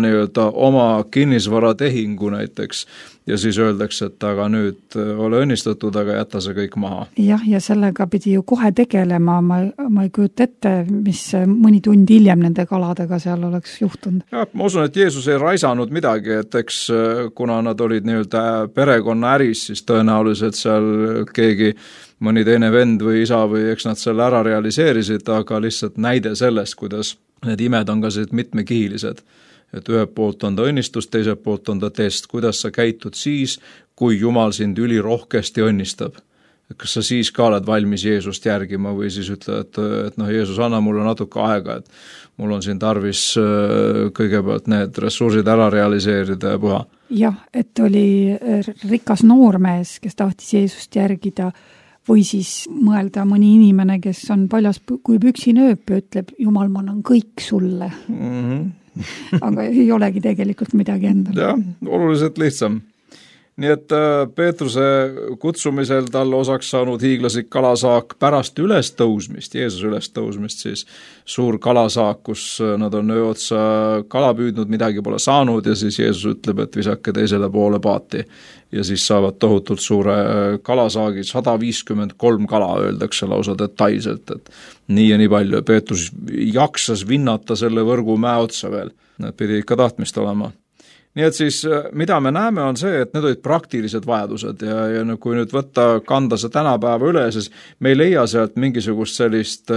oma kinnisvaratehingu näiteks ja siis öeldakse, et aga nüüd ole õnnistatud, aga jätta see kõik maha. Jah, ja sellega pidi ju kohe tegelema, ma ei kujuta ette, mis mõni tund hiljem nende kaladega seal oleks juhtunud. Ja, ma usun, et Jeesus ei raisanud midagi, et eks kuna nad olid perekonna äris, siis tõenäoliselt seal keegi mõni teine vend või isa või eks nad selle ära realiseerisid, aga lihtsalt näide sellest, kuidas need imed on ka mitmekihilised. et ühelt poolt on ta õnnistus, teiselt poolt on ta test, kuidas sa käitud siis, kui Jumal sind ülirohkesti õnnistab. Kas sa siis ka oled valmis Jeesust järgima või siis ütled, et Jeesus, anna mulle natuke aega, et mul on siin tarvis kõigepealt need ressursid ära realiseerida ja puha. Jah, et oli rikas noormees, kes tahtis Jeesust järgida või siis mõelda mõni inimene, kes on paljas kui püksinööp ja ütleb, Jumal, ma annan kõik sulle. Aga ei olegi tegelikult midagi endal. Jah, oluliselt lihtsam. Nii et Peetruse kutsumisel talle osaks saanud hiiglaslik kalasaak pärast ülestõusmist, Jeesuse ülestõusmist siis suur kalasaak, kus nad on öö otsa kala püüdnud, midagi pole saanud ja siis Jeesus ütleb, et visake teisele poole paati ja siis saavad tohutult suure kalasaagi, 153 kala öeldakse lausa detailselt, et nii ja nii palju. Peetrus jaksas vinnata selle võrgu mäe otsa veel, need pidi ikka tahtmist olema. Nii et siis, mida me näeme, on see, et need olid praktilised vajadused ja kui nüüd kanda see tänapäeva üle, siis me ei leia sealt mingisugust sellist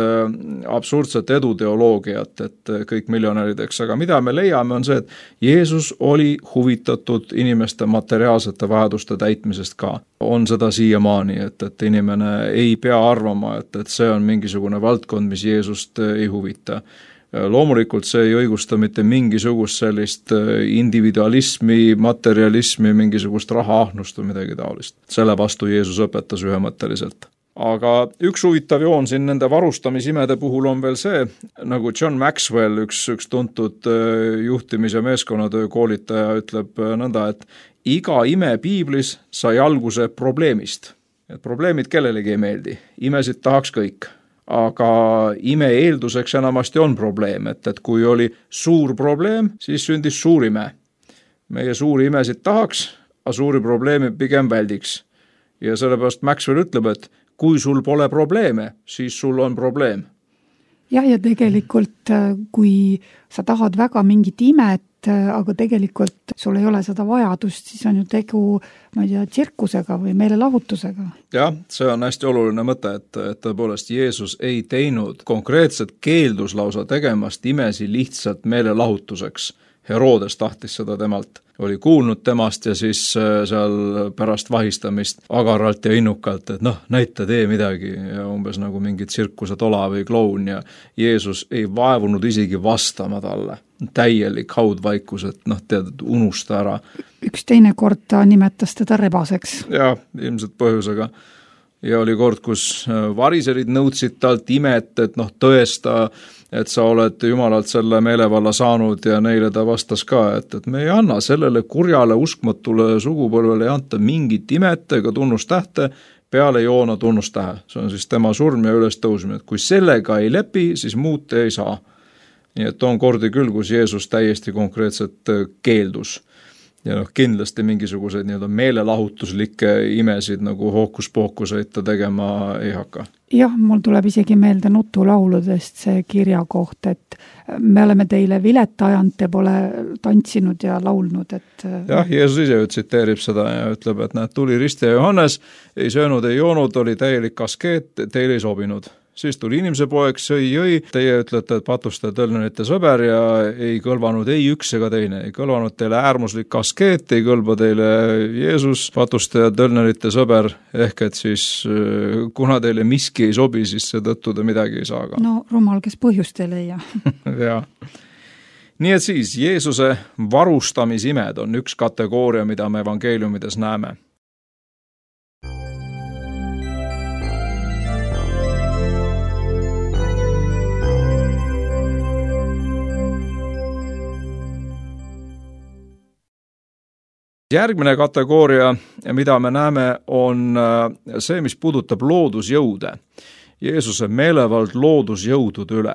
absurdset eduteoloogiat, et kõik miljonärideks, aga mida me leiame, on see, et Jeesus oli huvitatud inimeste materiaalsete vajaduste täitmisest ka. On seda siiamaani, et inimene ei pea arvama, et see on mingisugune valdkond, mis Jeesust ei huvita. Loomulikult see ei õigusta mitte mingisugust sellist individualismi, materialismi, mingisugust rahaahnust või midagi taolist. Selle vastu Jeesus õpetas ühemõtteliselt. Aga üks huvitav joon siin nende varustamisimede puhul on veel see, nagu John Maxwell, üks tuntud juhtimis- ja meeskonnatöö koolitaja ütleb nõnda, et iga ime piiblis sai alguse probleemist. Et probleemid kellelegi ei meeldi, imesid tahaks kõik. Aga ime eelduseks enamasti on probleem, et kui oli suur probleem, siis sündis suur ime. Meie suuri imesid tahaks, aga suuri probleeme pigem väldiks. Ja sellepärast Maxwell ütleb, et kui sul pole probleeme, siis sul on probleem. Jah, ja tegelikult kui sa tahad väga mingit imet, aga tegelikult sul ei ole seda vajadust, siis on ju tegu, ma ei tea, tsirkusega või meelelahutusega. Jah, see on hästi oluline mõte, et tõepoolest Jeesus ei teinud konkreetset keeldus lausa tegemast imesi lihtsalt meelelahutuseks. Herodes tahtis seda temalt, oli kuulnud temast ja siis seal pärast vahistamist agaralt ja innukalt, et näita tee midagi ja umbes nagu mingi tsirkuse tola või kloun ja Jeesus ei vaevunud isegi vastama talle. Täielik haudvaikus, et tead, unusta ära. Üks teine kord ta nimetas teda rebaseks. Jah, ilmselt põhjusega. Ja oli kord, kus variserid nõudsid talt imet, et tõesta, et sa oled Jumalalt selle meelevalla saanud ja neile ta vastas ka, et me ei anna sellele kurjale uskmatule sugupõlvele ei anta mingit imet ega tunnustähte peale Joona tunnustähe. See on siis tema surm ja ülestõusmine, et kui sellega ei lepi, siis muud ei saa. Nii et on kordi küll, kus Jeesus täiesti konkreetselt keeldus. Ja kindlasti mingisuguseid meelelahutuslikke imesid nagu hookuspookuseid ta tegema ei hakka. Jah, mul tuleb isegi meelde nutulauludest see kirja koht, et me oleme teile vilet ajanud, te pole tantsinud ja laulnud. Jah, Jeesus ise tsiteerib seda ja ütleb, et tuli Risti ja Johannes, ei söönud, ei joonud, oli täielik askeet, teile ei sobinud. Siis tuli inimese poeg, jõi, teie ütlete, et patuste tõlnerite sõber ja ei kõlvanud ei üks ega teine. Ei kõlvanud teile äärmuslik askeet, ei kõlba teile Jeesus, patuste ja tõlnerite sõber, ehk et siis kuna teile miski ei sobi, siis seetõttu te midagi ei saa ka. No rumal, kes põhjust ei leia. Jaa. Nii et siis Jeesuse varustamisimed on üks kategooria, mida me evangeeliumides näeme. Järgmine kategooria, mida me näeme, on see, mis puudutab loodusjõude. Jeesuse meelevald loodusjõudude üle,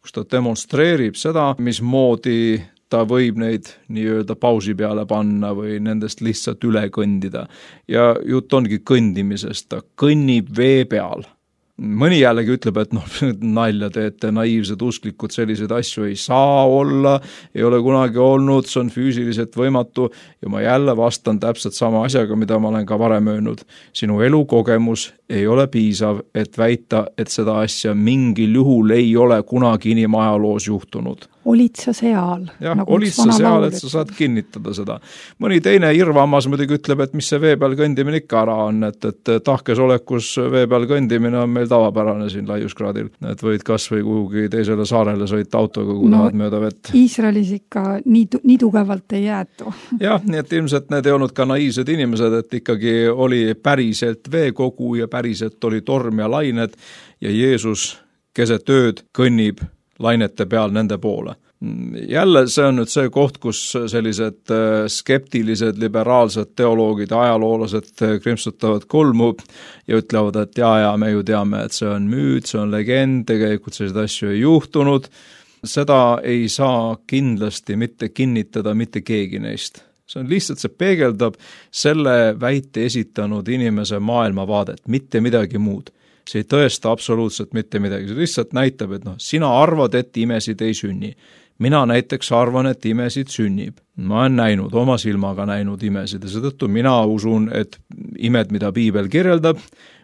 kus ta demonstreerib seda, mismoodi ta võib neid nii-öelda pausi peale panna või nendest lihtsalt üle kõndida. Ja jutt ongi kõndimisest, ta kõnnib vee peal. Mõni jällegi ütleb, et nalja teete, naiivsed usklikud, selliseid asju ei saa olla, ei ole kunagi olnud, see on füüsiliselt võimatu ja ma jälle vastan täpselt sama asjaga, mida ma olen ka varem öelnud. Sinu elukogemus ei ole piisav, et väita, et seda asja mingil juhul ei ole kunagi inimajaloos juhtunud. Olid sa seal? Jah, nagu olid sa seal, et sa saad kinnitada seda. Mõni teine irvamas muidugi ütleb, et mis see vee peal kõndimine ikka ära on, et tahkes olekus vee peal kõndimine on meil tavapärane siin laiuskraadil. Et võid kas või kuhugi teisele saarele sõita autoga, kui tahad mööda vett. Iisraelis ikka nii tugevalt ei jäetu. Jah, nii et ilmselt need ei olnud ka naiivsed inimesed, et ikkagi oli päriselt veekogu ja päriselt oli torm ja lained ja Jeesus keset ööd kõnnib lainete peal nende poole. Jälle see on nüüd see koht, kus sellised skeptilised, liberaalsed teoloogid, ajaloolased krimpsutavad kulmu ja ütlevad, et ja me ju teame, et see on müüt, see on legend, tegelikult sellised asju ei juhtunud. Seda ei saa kindlasti mitte kinnitada mitte keegi neist. See on lihtsalt, see peegeldab selle väite esitanud inimese maailmavaadet, mitte midagi muud. See ei tõesta absoluutselt mitte midagi, see lihtsalt näitab, et sina arvad, et imesid ei sünni. Mina näiteks arvan, et imesid sünnib. Ma olen näinud, oma silmaga näinud imesid ja seetõttu mina usun, et imed, mida piibel kirjeldab,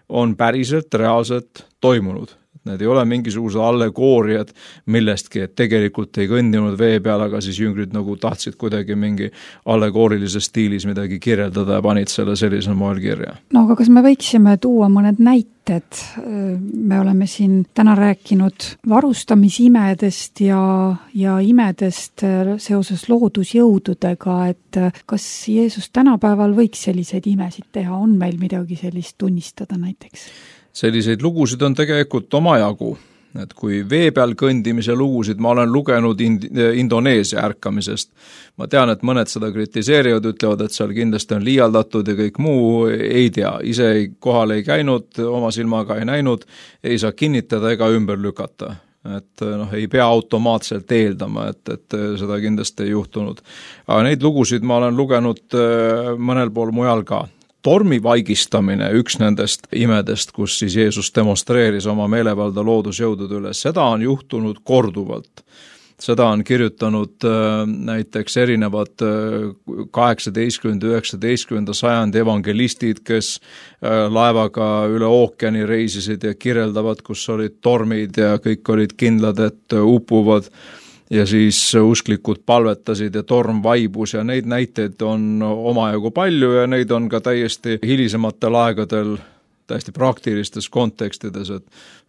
on päriselt, reaalselt toimunud. Need ei ole mingisugused allegooriad millestki, et tegelikult ei kõndinud vee peal, aga siis jüngrid nagu tahtsid kuidagi mingi allegoorilises stiilis midagi kirjeldada ja panid selle sellisel moel kirja. No aga kas me võiksime tuua mõned näited? Me oleme siin täna rääkinud varustamisimedest ja imedest seoses loodusjõududega, et kas Jeesus tänapäeval võiks selliseid imesid teha? On meil midagi sellist tunnistada näiteks? Selliseid lugusid on tegelikult omajagu, et kui vee peal kõndimise lugusid ma olen lugenud Indoneesia ärkamisest. Ma tean, et mõned seda kritiseerivad, ütlevad, et seal kindlasti on liialdatud ja kõik muu ei tea. Ise kohal ei käinud, oma silmaga ei näinud, ei saa kinnitada ega ümber lükata. Et ei pea automaatselt eeldama, et seda kindlasti ei juhtunud. Aga neid lugusid ma olen lugenud mõnel pool mujal ka. Tormi vaigistamine, üks nendest imedest, kus siis Jeesus demonstreeris oma meelevalda loodusjõudude üle, seda on juhtunud korduvalt. Seda on kirjutanud näiteks erinevad 18. ja 19. sajandi evangelistid, kes laevaga üle ookeani reisisid ja kirjeldavad, kus olid tormid ja kõik olid kindlad, et upuvad. Ja siis usklikud palvetasid ja torm vaibus ja neid näiteid on omajagu palju ja neid on ka täiesti hilisematel aegadel täiesti praktilistes kontekstides,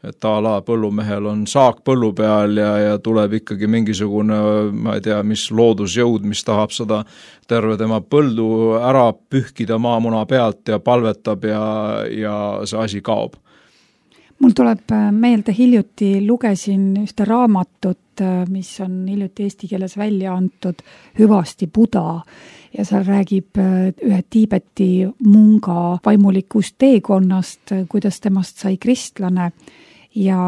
et a la põllumehel on saak põllu peal ja tuleb ikkagi mingisugune, ma ei tea, mis loodusjõud, mis tahab seda terve tema põldu ära pühkida maamuna pealt ja palvetab ja see asi kaob. Mul tuleb meelde, hiljuti lugesin ühte raamatut, mis on hiljuti eesti keeles välja antud, Hüvasti Buda, ja seal räägib ühe Tiibeti munga vaimulikust teekonnast, kuidas temast sai kristlane ja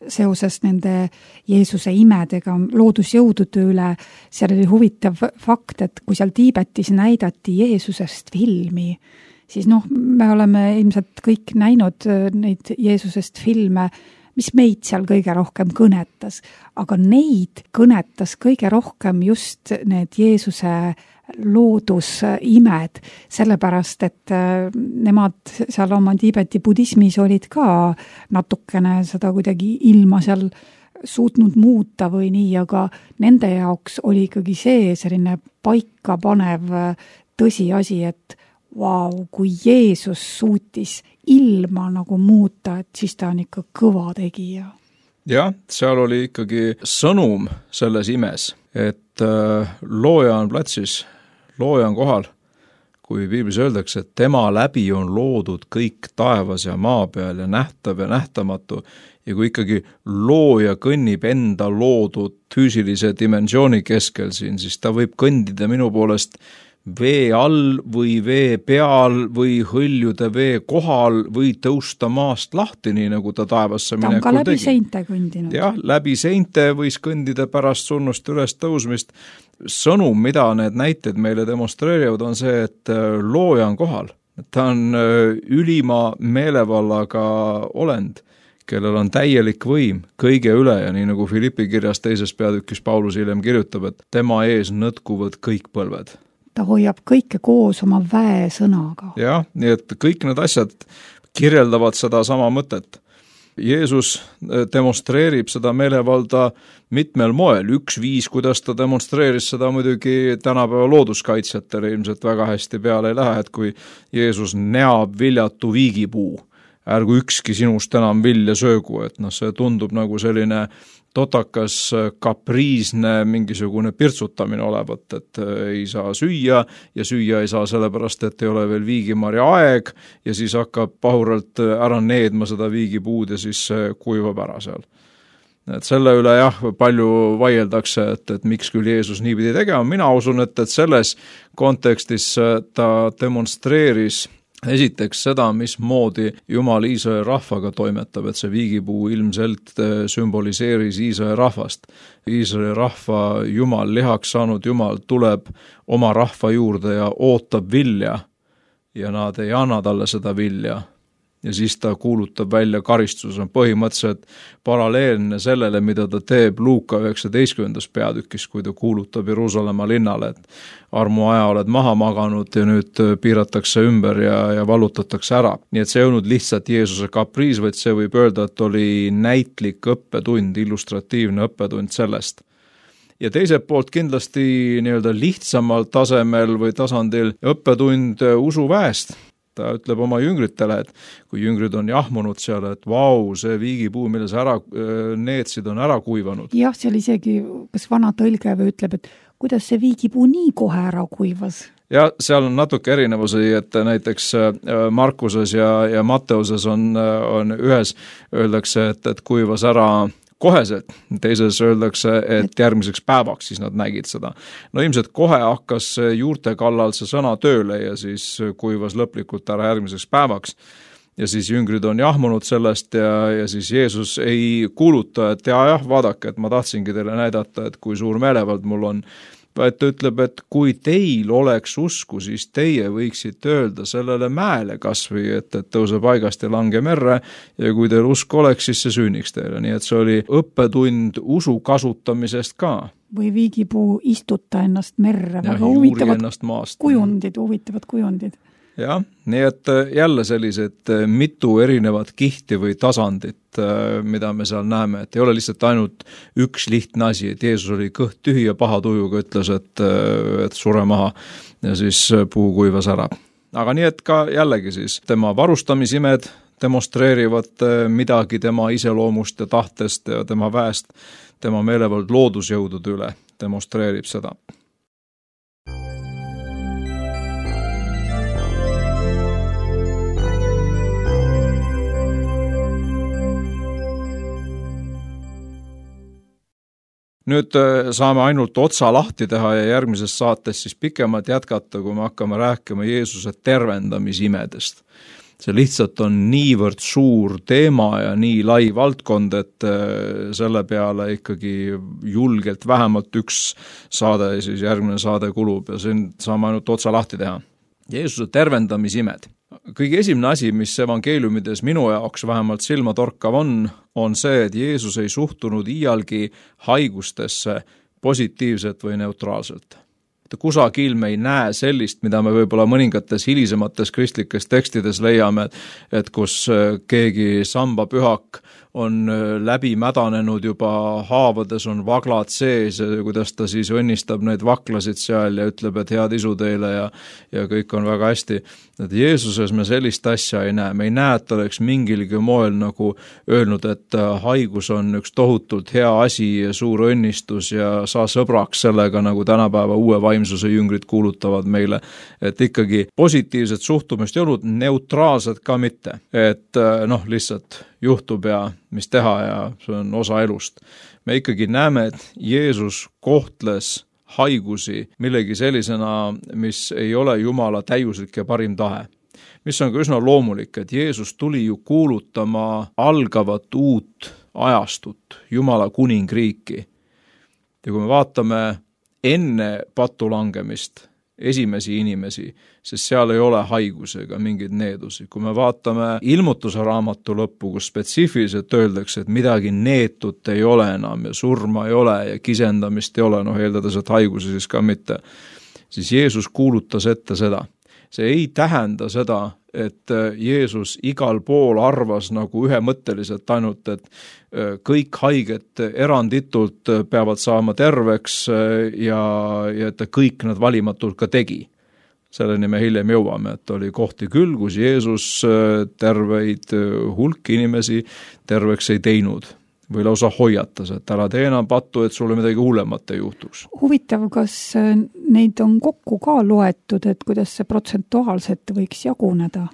seoses nende Jeesuse imedega loodusjõudude üle. Seal oli huvitav fakt, et kui seal Tiibetis näidati Jeesusest filmi, siis me oleme ilmselt kõik näinud neid Jeesusest filme, mis meid seal kõige rohkem kõnetas, aga neid kõnetas kõige rohkem just need Jeesuse loodusimed, sellepärast, et nemad seal oma Tiibeti budismis olid ka natukene seda kuidagi ilma seal suutnud muuta või nii, aga nende jaoks oli ikkagi see selline paikapanev tõsiasi, et kui Jeesus suutis ilma nagu muuta, et siis ta on ikka kõva tegija. Jah, seal oli ikkagi sõnum selles imes, et looja on platsis, looja on kohal. Kui piiblis öeldakse, et tema läbi on loodud kõik taevas ja maa peal ja nähtav ja nähtamatu, ja kui ikkagi looja kõnnib enda loodud füüsilise dimensiooni keskel siin, siis ta võib kõndida minu poolest vee all või vee peal või hõljuda vee kohal või tõusta maast lahti, nii nagu ta taevasse minekul tegi. Ta on ka läbi seinte kõndinud. Jah, läbi seinte võis kõndida pärast surnust üles tõusmist. Sõnum, mida need näited meile demonstreerivad, on see, et looja on kohal. Ta on ülima meelevallaga olend, kellel on täielik võim kõige üle ja nii nagu Filippi kirjas teises peatükis Paulus hiljem kirjutab, et tema ees nõtkuvad kõik põlved. Ta hoiab kõike koos oma väesõnaga. Jah, nii et kõik need asjad kirjeldavad seda sama mõtet. Jeesus demonstreerib seda meelevalda mitmel moel. Üks viis, kuidas ta demonstreeris seda muidugi tänapäeva looduskaitsjatele ilmselt väga hästi peale ei lähe, et kui Jeesus näab viljatu viigipuu, ärgu ükski sinust enam vilja söögu, et see tundub nagu selline totakas, kapriisne, mingisugune pirtsutamine olevat, et ei saa süüa ja süüa ei saa sellepärast, et ei ole veel viigimarja aeg ja siis hakkab pahuralt ära needma seda viigipuud ja siis kuivab ära seal. Et selle üle palju vaieldakse, et miks küll Jeesus nii pidi tegema. Mina usun, et selles kontekstis ta demonstreeris esiteks seda, mismoodi Jumal Iisraeli rahvaga toimetab, et see viigipuu ilmselt sümboliseeris Iisraeli rahvast. Iisraeli rahva Jumal, lihaks saanud Jumal tuleb oma rahva juurde ja ootab vilja ja nad ei anna talle seda vilja. Ja siis ta kuulutab välja karistus, on põhimõtteliselt paralleelne sellele, mida ta teeb Luuka 19. peatükis, kui ta kuulutab Jeruusalemma linnale, et armuaja oled maha maganud ja nüüd piiratakse ümber ja vallutatakse ära. Nii et see ei olnud lihtsalt Jeesuse kapriis, vaid see võib öelda, et oli näitlik õppetund, illustratiivne õppetund sellest. Ja teiselt poolt kindlasti nii-öelda lihtsamal tasemel või tasandil õppetund usuväest. Ta ütleb oma jüngritele, et kui jüngrid on jahmunud seal, et vau, see viigipuu, mille sa ära neetsid, on ära kuivanud. Jah, seal isegi kas vana tõlge või ütleb, et kuidas see viigipuu nii kohe ära kuivas? Ja seal on natuke erinevusi, et näiteks Markuses ja Matteuses on ühes öeldakse, et kuivas ära koheselt, teises öeldakse, et järgmiseks päevaks siis nad nägid seda. No ilmselt kohe hakkas juurte kallal see sõna tööle ja siis kuivas lõplikult ära järgmiseks päevaks. Ja siis jüngrid on jahmunud sellest ja siis Jeesus ei kuuluta, et vaadake, et ma tahtsingi teile näidata, et kui suur meelevald mul on. Vaid ta ütleb, et kui teil oleks usku, siis teie võiksite öelda sellele mäele kasvõi, et tõuse paigast ja lange merre ja kui teil usk oleks, siis see sünniks teile. Nii et see oli õppetund usu kasutamisest ka. Või viigipuu istuta ennast merre, väga huvitavad kujundid. Jah, nii et jälle sellised mitu erinevat kihti või tasandit, mida me seal näeme, et ei ole lihtsalt ainult üks lihtne asi, et Jeesus oli kõht tühi ja paha tujuga ütles, et sure maha ja siis puu kuivas ära. Aga nii et ka jällegi siis tema varustamisimed demonstreerivad midagi tema iseloomust ja tahtest ja tema väest, tema meelevald loodusjõudude üle demonstreerib seda. Nüüd saame ainult otsa lahti teha ja järgmises saates siis pikemalt jätkata, kui me hakkame rääkima Jeesuse tervendamisimedest. See lihtsalt on niivõrd suur teema ja nii lai valdkond, et selle peale ikkagi julgelt vähemalt üks saade, siis järgmine saade kulub ja siin saame ainult otsa lahti teha. Jeesuse tervendamisimed. Kõige esimene asi, mis evangeeliumides minu jaoks vähemalt silmatorkav on see, et Jeesus ei suhtunud iialgi haigustesse positiivselt või neutraalselt. Kusagil me ei näe sellist, mida me võib-olla mõningates hilisemates kristlikes tekstides leiame, et kus keegi sambapühak on läbi mädanenud juba haavades, on vaglad sees ja kuidas ta siis õnnistab neid vaklasid seal ja ütleb, et head isu teile ja kõik on väga hästi. Et Jeesuses me sellist asja ei näe. Me ei näe, et ta oleks mingilgi moel nagu öelnud, et haigus on üks tohutult hea asi ja suur õnnistus ja saa sõbraks sellega, nagu tänapäeva uue vaimsuse jüngrid kuulutavad meile. Et ikkagi positiivset suhtumist ei olnud, neutraalset ka mitte. Et lihtsalt juhtub ja mis teha ja see on osa elust. Me ikkagi näeme, et Jeesus kohtles haigusi millegi sellisena, mis ei ole Jumala täiuslik ja parim tahe. Mis on ka üsna loomulik, et Jeesus tuli ju kuulutama algavat uut ajastut, Jumala kuningriiki. Ja kui me vaatame enne patulangemist esimesi inimesi, sest seal ei ole haigusi ega mingeid needusi. Kui me vaatame ilmutuse raamatu lõppu, kus spetsiifiliselt öeldakse, et midagi neetut ei ole enam ja surma ei ole ja kisendamist ei ole, eeldades, et haigusi siis ka mitte, siis Jeesus kuulutas ette seda. See ei tähenda seda, et Jeesus igal pool arvas nagu ühemõtteliselt ainult, et kõik haiged eranditult peavad saama terveks ja et ta kõik nad valimatult ka tegi. Selleni me hiljem jõuame, et oli kohti küll, kus Jeesus terveid hulk inimesi terveks ei teinud või lausa hoiatas, et ära tee enam pattu, et sulle midagi hullemat ei juhtuks. Huvitav, kas neid on kokku ka loetud, et kuidas see protsentuaalselt võiks jaguneda?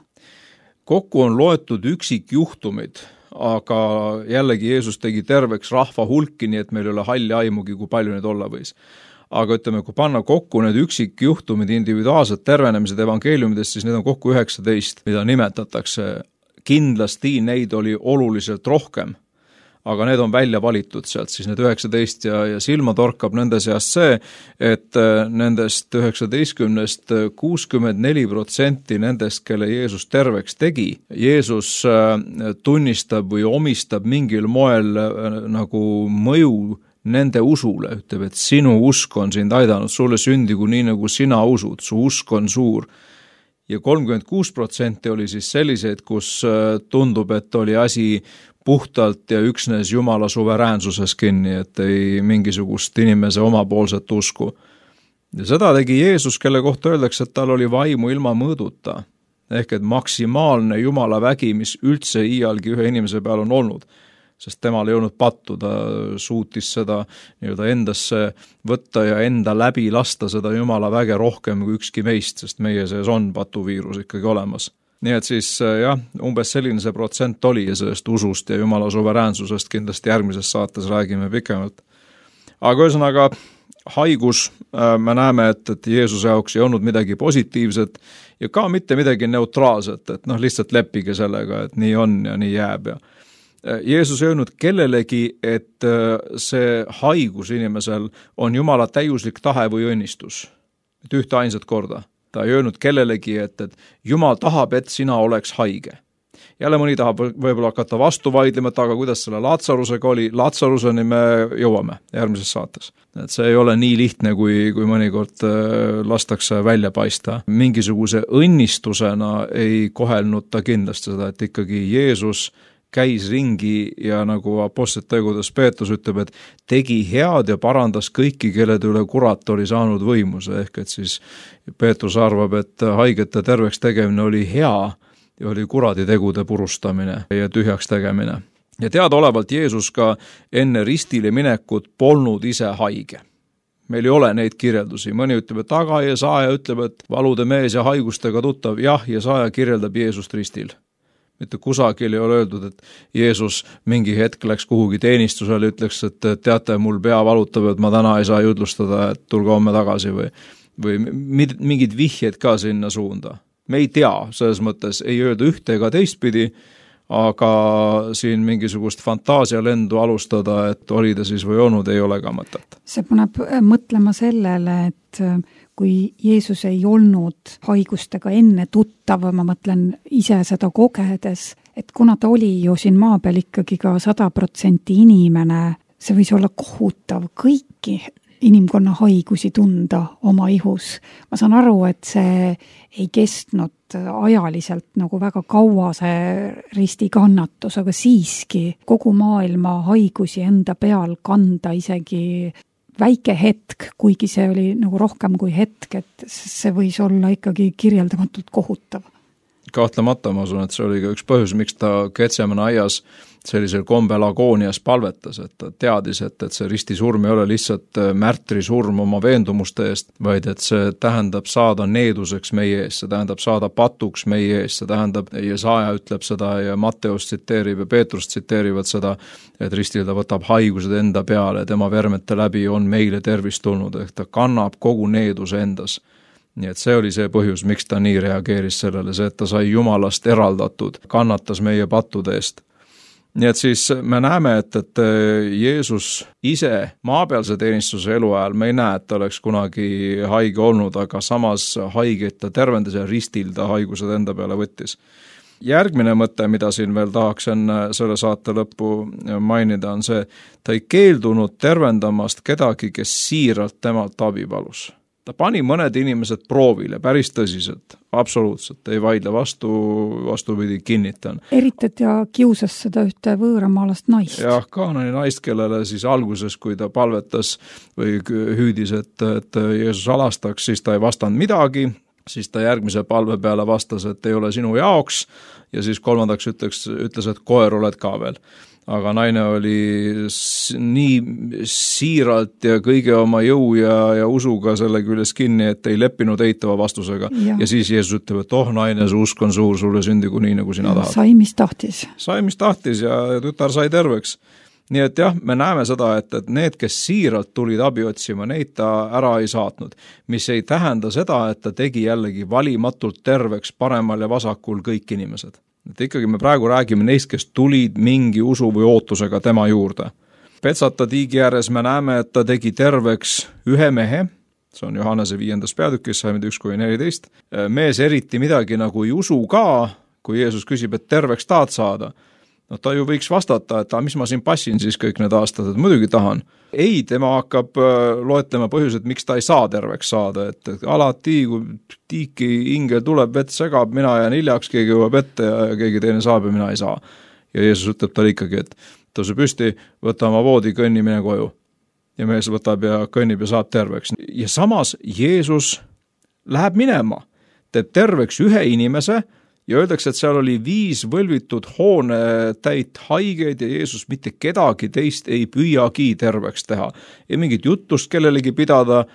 Kokku on loetud üksikjuhtumid, aga jällegi Jeesus tegi terveks rahva hulki, nii et meil ei ole halli aimugi, kui palju neid olla võis. Aga ütleme, kui panna kokku need üksikjuhtumid individuaalsed tervenemised evangeeliumidest, siis need on kokku 19, mida nimetatakse. Kindlasti neid oli oluliselt rohkem, aga need on välja valitud sealt, siis need 19 ja silma torkab nende seast see, et nendest 19-st 64% nendest, kelle Jeesus terveks tegi, Jeesus tunnistab või omistab mingil moel nagu mõju nende usule, ütleb, et sinu usk on sind aidanud, sulle sündigu nii, nagu sina usud, su usk on suur. Ja 36% oli siis selliseid, kus tundub, et oli asi puhtalt ja üksnes Jumala suveräänsuses kinni, et ei mingisugust inimese omapoolset usku. Ja seda tegi Jeesus, kelle kohta öeldakse, et tal oli vaimu ilma mõõduta. Ehk et maksimaalne Jumala vägi, mis üldse iialgi ühe inimese peal on olnud. Sest temal ei olnud pattu, ta suutis seda nii-öelda endasse võtta ja enda läbi lasta seda Jumala väge rohkem kui ükski meist, sest meie sees on patuviirus ikkagi olemas. Nii et siis jah, umbes selline see protsent oli ja sellest usust ja Jumala suveräänsusest kindlasti järgmises saates räägime pikemalt. Aga ühesõnaga, haigus, me näeme, et Jeesuse jaoks ei olnud midagi positiivset ja ka mitte midagi neutraalset, et lihtsalt leppige sellega, et nii on ja nii jääb ja Jeesus ei öelnud kellelegi, et see haigus inimesel on Jumala täiuslik tahe või õnnistus. Et ühte ainsat korda. Ta ei öelnud kellelegi, et Jumal tahab, et sina oleks haige. Jälle mõni tahab võib-olla hakata vastu vaidlema, aga kuidas selle Laatsarusega oli, Laatsaruseni me jõuame järgmises saates. Et see ei ole nii lihtne, kui mõnikord lastakse välja paista. Mingisuguse õnnistusena ei kohelnud ta kindlasti seda, et ikkagi Jeesus käis ringi ja nagu Apostlite tegudes Peetrus ütleb, et tegi head ja parandas kõiki, kellede üle kurat oli saanud võimuse, ehk et siis Peetrus arvab, et haigete terveks tegemine oli hea ja oli kuradi tegude purustamine ja tühjaks tegemine. Ja teadaolevalt Jeesus ka enne ristile minekut polnud ise haige. Meil ei ole neid kirjeldusi. Mõni ütleb, et aga Jesaja ütleb, et valude mees ja haigustega tuttav. Jah, Jesaja kirjeldab Jeesust ristil. Mitte kusagil ei ole öeldud, et Jeesus mingi hetk läks kuhugi teenistusele, ütleks, et teate, mul pea valutab, et ma täna ei saa jutlustada, et tulge homme tagasi või mingid vihjed ka sinna suunda. Me ei tea, selles mõttes ei öelda ühte ega teistpidi, aga siin mingisugust fantaasialendu alustada, et oli ta siis või olnud, ei ole ka mõtet. See paneb mõtlema sellele, et kui Jeesus ei olnud haigustega enne tuttav, ma mõtlen ise seda kogedes, et kuna ta oli ju siin maa peal ikkagi ka 100% inimene, see võis olla kohutav kõiki inimkonna haigusi tunda oma ihus. Ma saan aru, et see ei kestnud ajaliselt nagu väga kaua see ristikannatus, aga siiski kogu maailma haigusi enda peal kanda isegi väike hetk, kuigi see oli nagu rohkem kui hetk, et see võis olla ikkagi kirjeldamatult kohutav. Kahtlemata ma usun, et see oli ka üks põhjus, miks ta Getsemane aias sellisel kombel agoonias palvetas, et ta teadis, et see ristisurm ei ole lihtsalt märtrisurm oma veendumuste eest, vaid et see tähendab saada needuseks meie ees, see tähendab saada patuks meie ees, see tähendab, Jesaja ütleb seda ja Matteus tsiteerib ja Peetrus tsiteerivad seda, et ristil ta võtab haigused enda peale, tema vermete läbi on meile tervist tulnud, ehk ta kannab kogu needuse endas. Nii et see oli see põhjus, miks ta nii reageeris sellele, see, et ta sai Jumalast eraldatud, kannatas meie pattude eest. Nii et siis me näeme, et Jeesus ise maapealse teenistuse eluajal, me ei näe, et ta oleks kunagi haige olnud, aga samas haigeid ta tervendas ja ristil ta haigused enda peale võttis. Järgmine mõte, mida siin veel tahaks enne selle saate lõppu mainida, on see, ta ei keeldunud tervendamast kedagi, kes siiralt temalt abi palus. Ta pani mõned inimesed proovile päris tõsiselt, absoluutselt, ei vaidle vastupidi, kinnitan. Eritat ja kiusas seda ühte võõramaalast naist. Jah, Kaanani naist, kellele siis alguses, kui ta palvetas või hüüdis, et Jeesus alastaks, siis ta ei vastanud midagi, siis ta järgmise palve peale vastas, et ei ole sinu jaoks ja siis kolmandaks ütles, et koer oled ka veel. Aga naine oli nii siiralt ja kõige oma jõu ja usuga selle küljes kinni, et ei leppinud eitava vastusega. Ja siis Jeesus ütleb, et naine, su usk on suur, sulle sündigu nii, nagu sina tahad. Sai, mis tahtis. Sai, mis tahtis ja tütar sai terveks. Nii et jah, me näeme seda, et need, kes siiralt tulid abi otsima, neid ta ära ei saatnud. Mis ei tähenda seda, et ta tegi jällegi valimatult terveks paremal ja vasakul kõik inimesed. Et ikkagi me praegu räägime neist, kes tulid mingi usu või ootusega tema juurde. Petsata tiigi ääres me näeme, et ta tegi terveks ühe mehe, see on Johannese 5. peatükis, 1-14. Mees eriti midagi nagu ei usu ka, kui Jeesus küsib, et terveks tahad saada. No ta ju võiks vastata, et mis ma siin passin siis kõik need aastad, et muidugi tahan. Ei, tema hakkab loetlema põhjused, miks ta ei saa terveks saada, et alati, kui tiiki ingel tuleb, vett segab, mina jään hiljaks, keegi jõuab ette ja keegi teine saab ja mina ei saa. Ja Jeesus ütleb talle ikkagi, et tõuse püsti, võta oma voodi, kõnni, mine koju. Ja mees võtab ja kõnnib ja saab terveks. Ja samas Jeesus läheb minema, teeb terveks ühe inimese, ja öeldakse, et seal oli 5 võlvitud hoone täit haigeid ja Jeesus mitte kedagi teist ei püüagi terveks teha. Ei mingit juttust kellelegi pidada,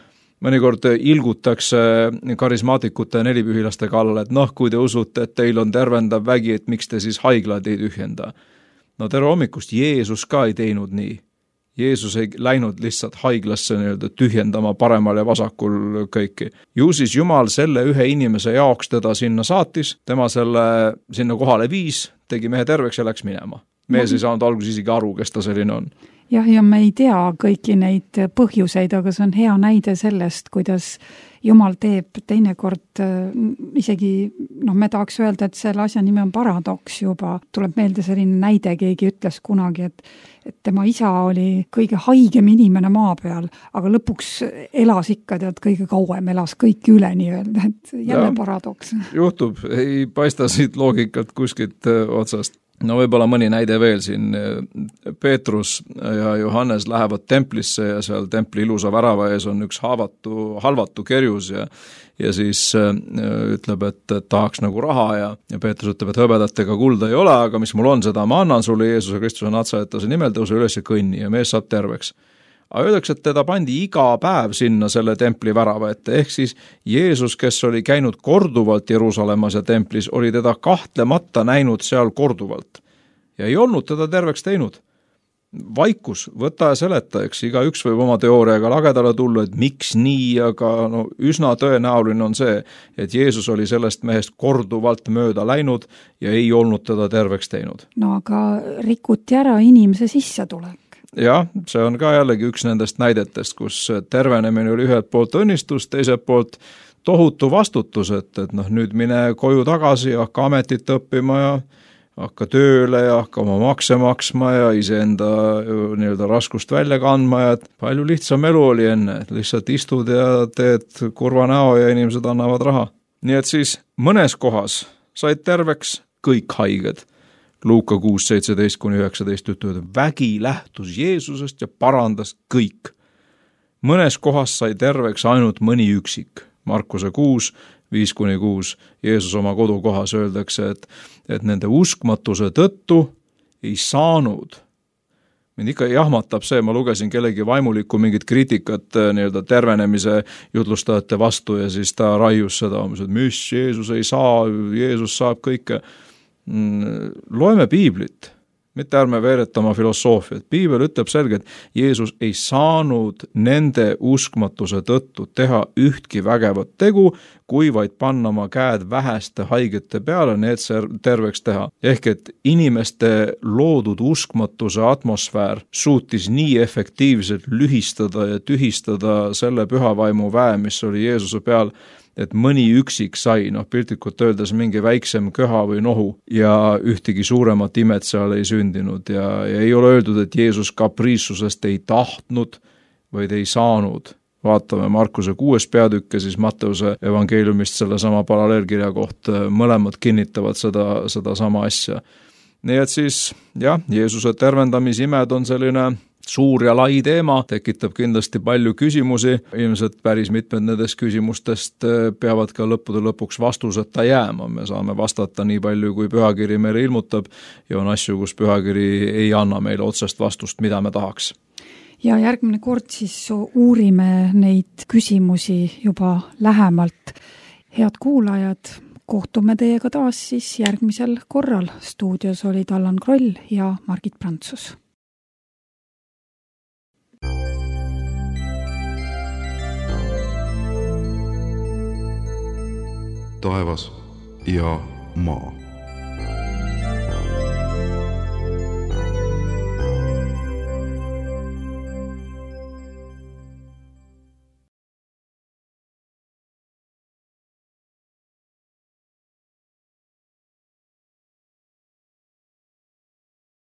mõnikord ilgutakse karismaatikute 4-pühilaste kallal, et kui te usute, et teil on tervendav vägi, et miks te siis haiglad ei tühjenda. No tere hommikust, Jeesus ka ei teinud nii. Jeesus ei läinud lihtsalt haiglasse tühjendama paremal ja vasakul kõiki. Ju siis Jumal selle ühe inimese jaoks teda sinna saatis, tema selle sinna kohale viis, tegi mehe terveks ja läks minema. Mees ei saanud alguses isegi aru, kes ta selline on. Jah, ja me ei tea kõiki neid põhjuseid, aga see on hea näide sellest, kuidas Jumal teeb teinekord isegi, me tahaks öelda, et selle asja nimi on paradoks juba. Tuleb meelde selline näide, keegi ütles kunagi, et tema isa oli kõige haigem inimene maa peal, aga lõpuks elas ikka, kõige kauem elas kõik üle nii öelda, et jälle paradoks. Juhtub, ei paista siit loogikat kuskilt otsast. No võib-olla mõni näide veel siin. Peetrus ja Johannes lähevad templisse ja seal templi ilusa värava ees on üks halvatu kerjus ja siis ütleb, et tahaks nagu raha ja Peetrus ütleb, et hõbedat ega kulda ei ole, aga mis mul on, seda ma annan sulle Jeesuse Kristuse Natsaretase nimel, tõuse üles ja kõnni ja mees saab terveks. Aga öeldakse, et teda pandi iga päev sinna selle templi värava ette, ehk siis Jeesus, kes oli käinud korduvalt Jeruusalemmas ja templis, oli teda kahtlemata näinud seal korduvalt ja ei olnud teda terveks teinud. Vaikus, võta ja seleta, eks iga üks võib oma teooriaga lagedale tulla, et miks nii, aga üsna tõenäoline on see, et Jeesus oli sellest mehest korduvalt mööda läinud ja ei olnud teda terveks teinud. No aga rikuti ära inimese sissetulek. Jah, see on ka jällegi üks nendest näidetest, kus tervenemine oli ühelt poolt õnnistus, teiselt poolt tohutu vastutus, et nüüd mine koju tagasi ja hakka ametit õppima ja hakka tööle ja hakka oma makse maksma ja iseenda raskust välja kandma ja palju lihtsam elu oli enne, et lihtsalt istud ja teed kurva näo ja inimesed annavad raha. Nii et siis mõnes kohas said terveks kõik haiged. Luuka 6:17-19 ütlevad, vägi lähtus Jeesusest ja parandas kõik. Mõnes kohas sai terveks ainult mõni üksik. Markuse 6:5-6 Jeesus oma kodukohas öeldakse, et nende uskmatuse tõttu ei saanud. Mind ikka jahmatab see, ma lugesin kellegi vaimulikku mingit kriitikat tervenemise jutlustajate vastu ja siis ta raius seda, et mis Jeesus ei saa, Jeesus saab kõike. Loeme piiblit, mitte ärme veeretama filosoofiat. Piibel ütleb selgelt, Jeesus ei saanud nende uskmatuse tõttu teha ühtki vägevat tegu, kui vaid panna oma käed väheste haigete peale, need terveks teha. Ehk et inimeste loodud uskmatuse atmosfäär suutis nii efektiivselt lühistada ja tühistada selle pühavaimu väe, mis oli Jeesuse peal, et mõni üksik sai, piltlikult öeldes mingi väiksem köha või nohu ja ühtegi suuremat imet seal ei sündinud ja ei ole öeldud, et Jeesus kapriissusest ei tahtnud, vaid ei saanud vaatame Markuse 6. peatükk ja siis Matteuse evangeeliumist sellesama paralleelkirja kohta, mõlemad kinnitavad seda sama asja. Nii et siis jah, Jeesuse tervendamisimed on selline suur ja lai teema, tekitab kindlasti palju küsimusi, ilmselt päris mitmed nendest küsimustest peavad ka lõppude lõpuks vastuseta jääma, me saame vastata nii palju, kui pühakiri meile ilmutab ja on asju, kus pühakiri ei anna meile otsest vastust, mida me tahaks. Ja järgmine kord siis uurime neid küsimusi juba lähemalt. Head kuulajad, kohtume teiega taas siis järgmisel korral. Stuudios olid Allan Kroll ja Margit Prantsus. Taevas ja maa.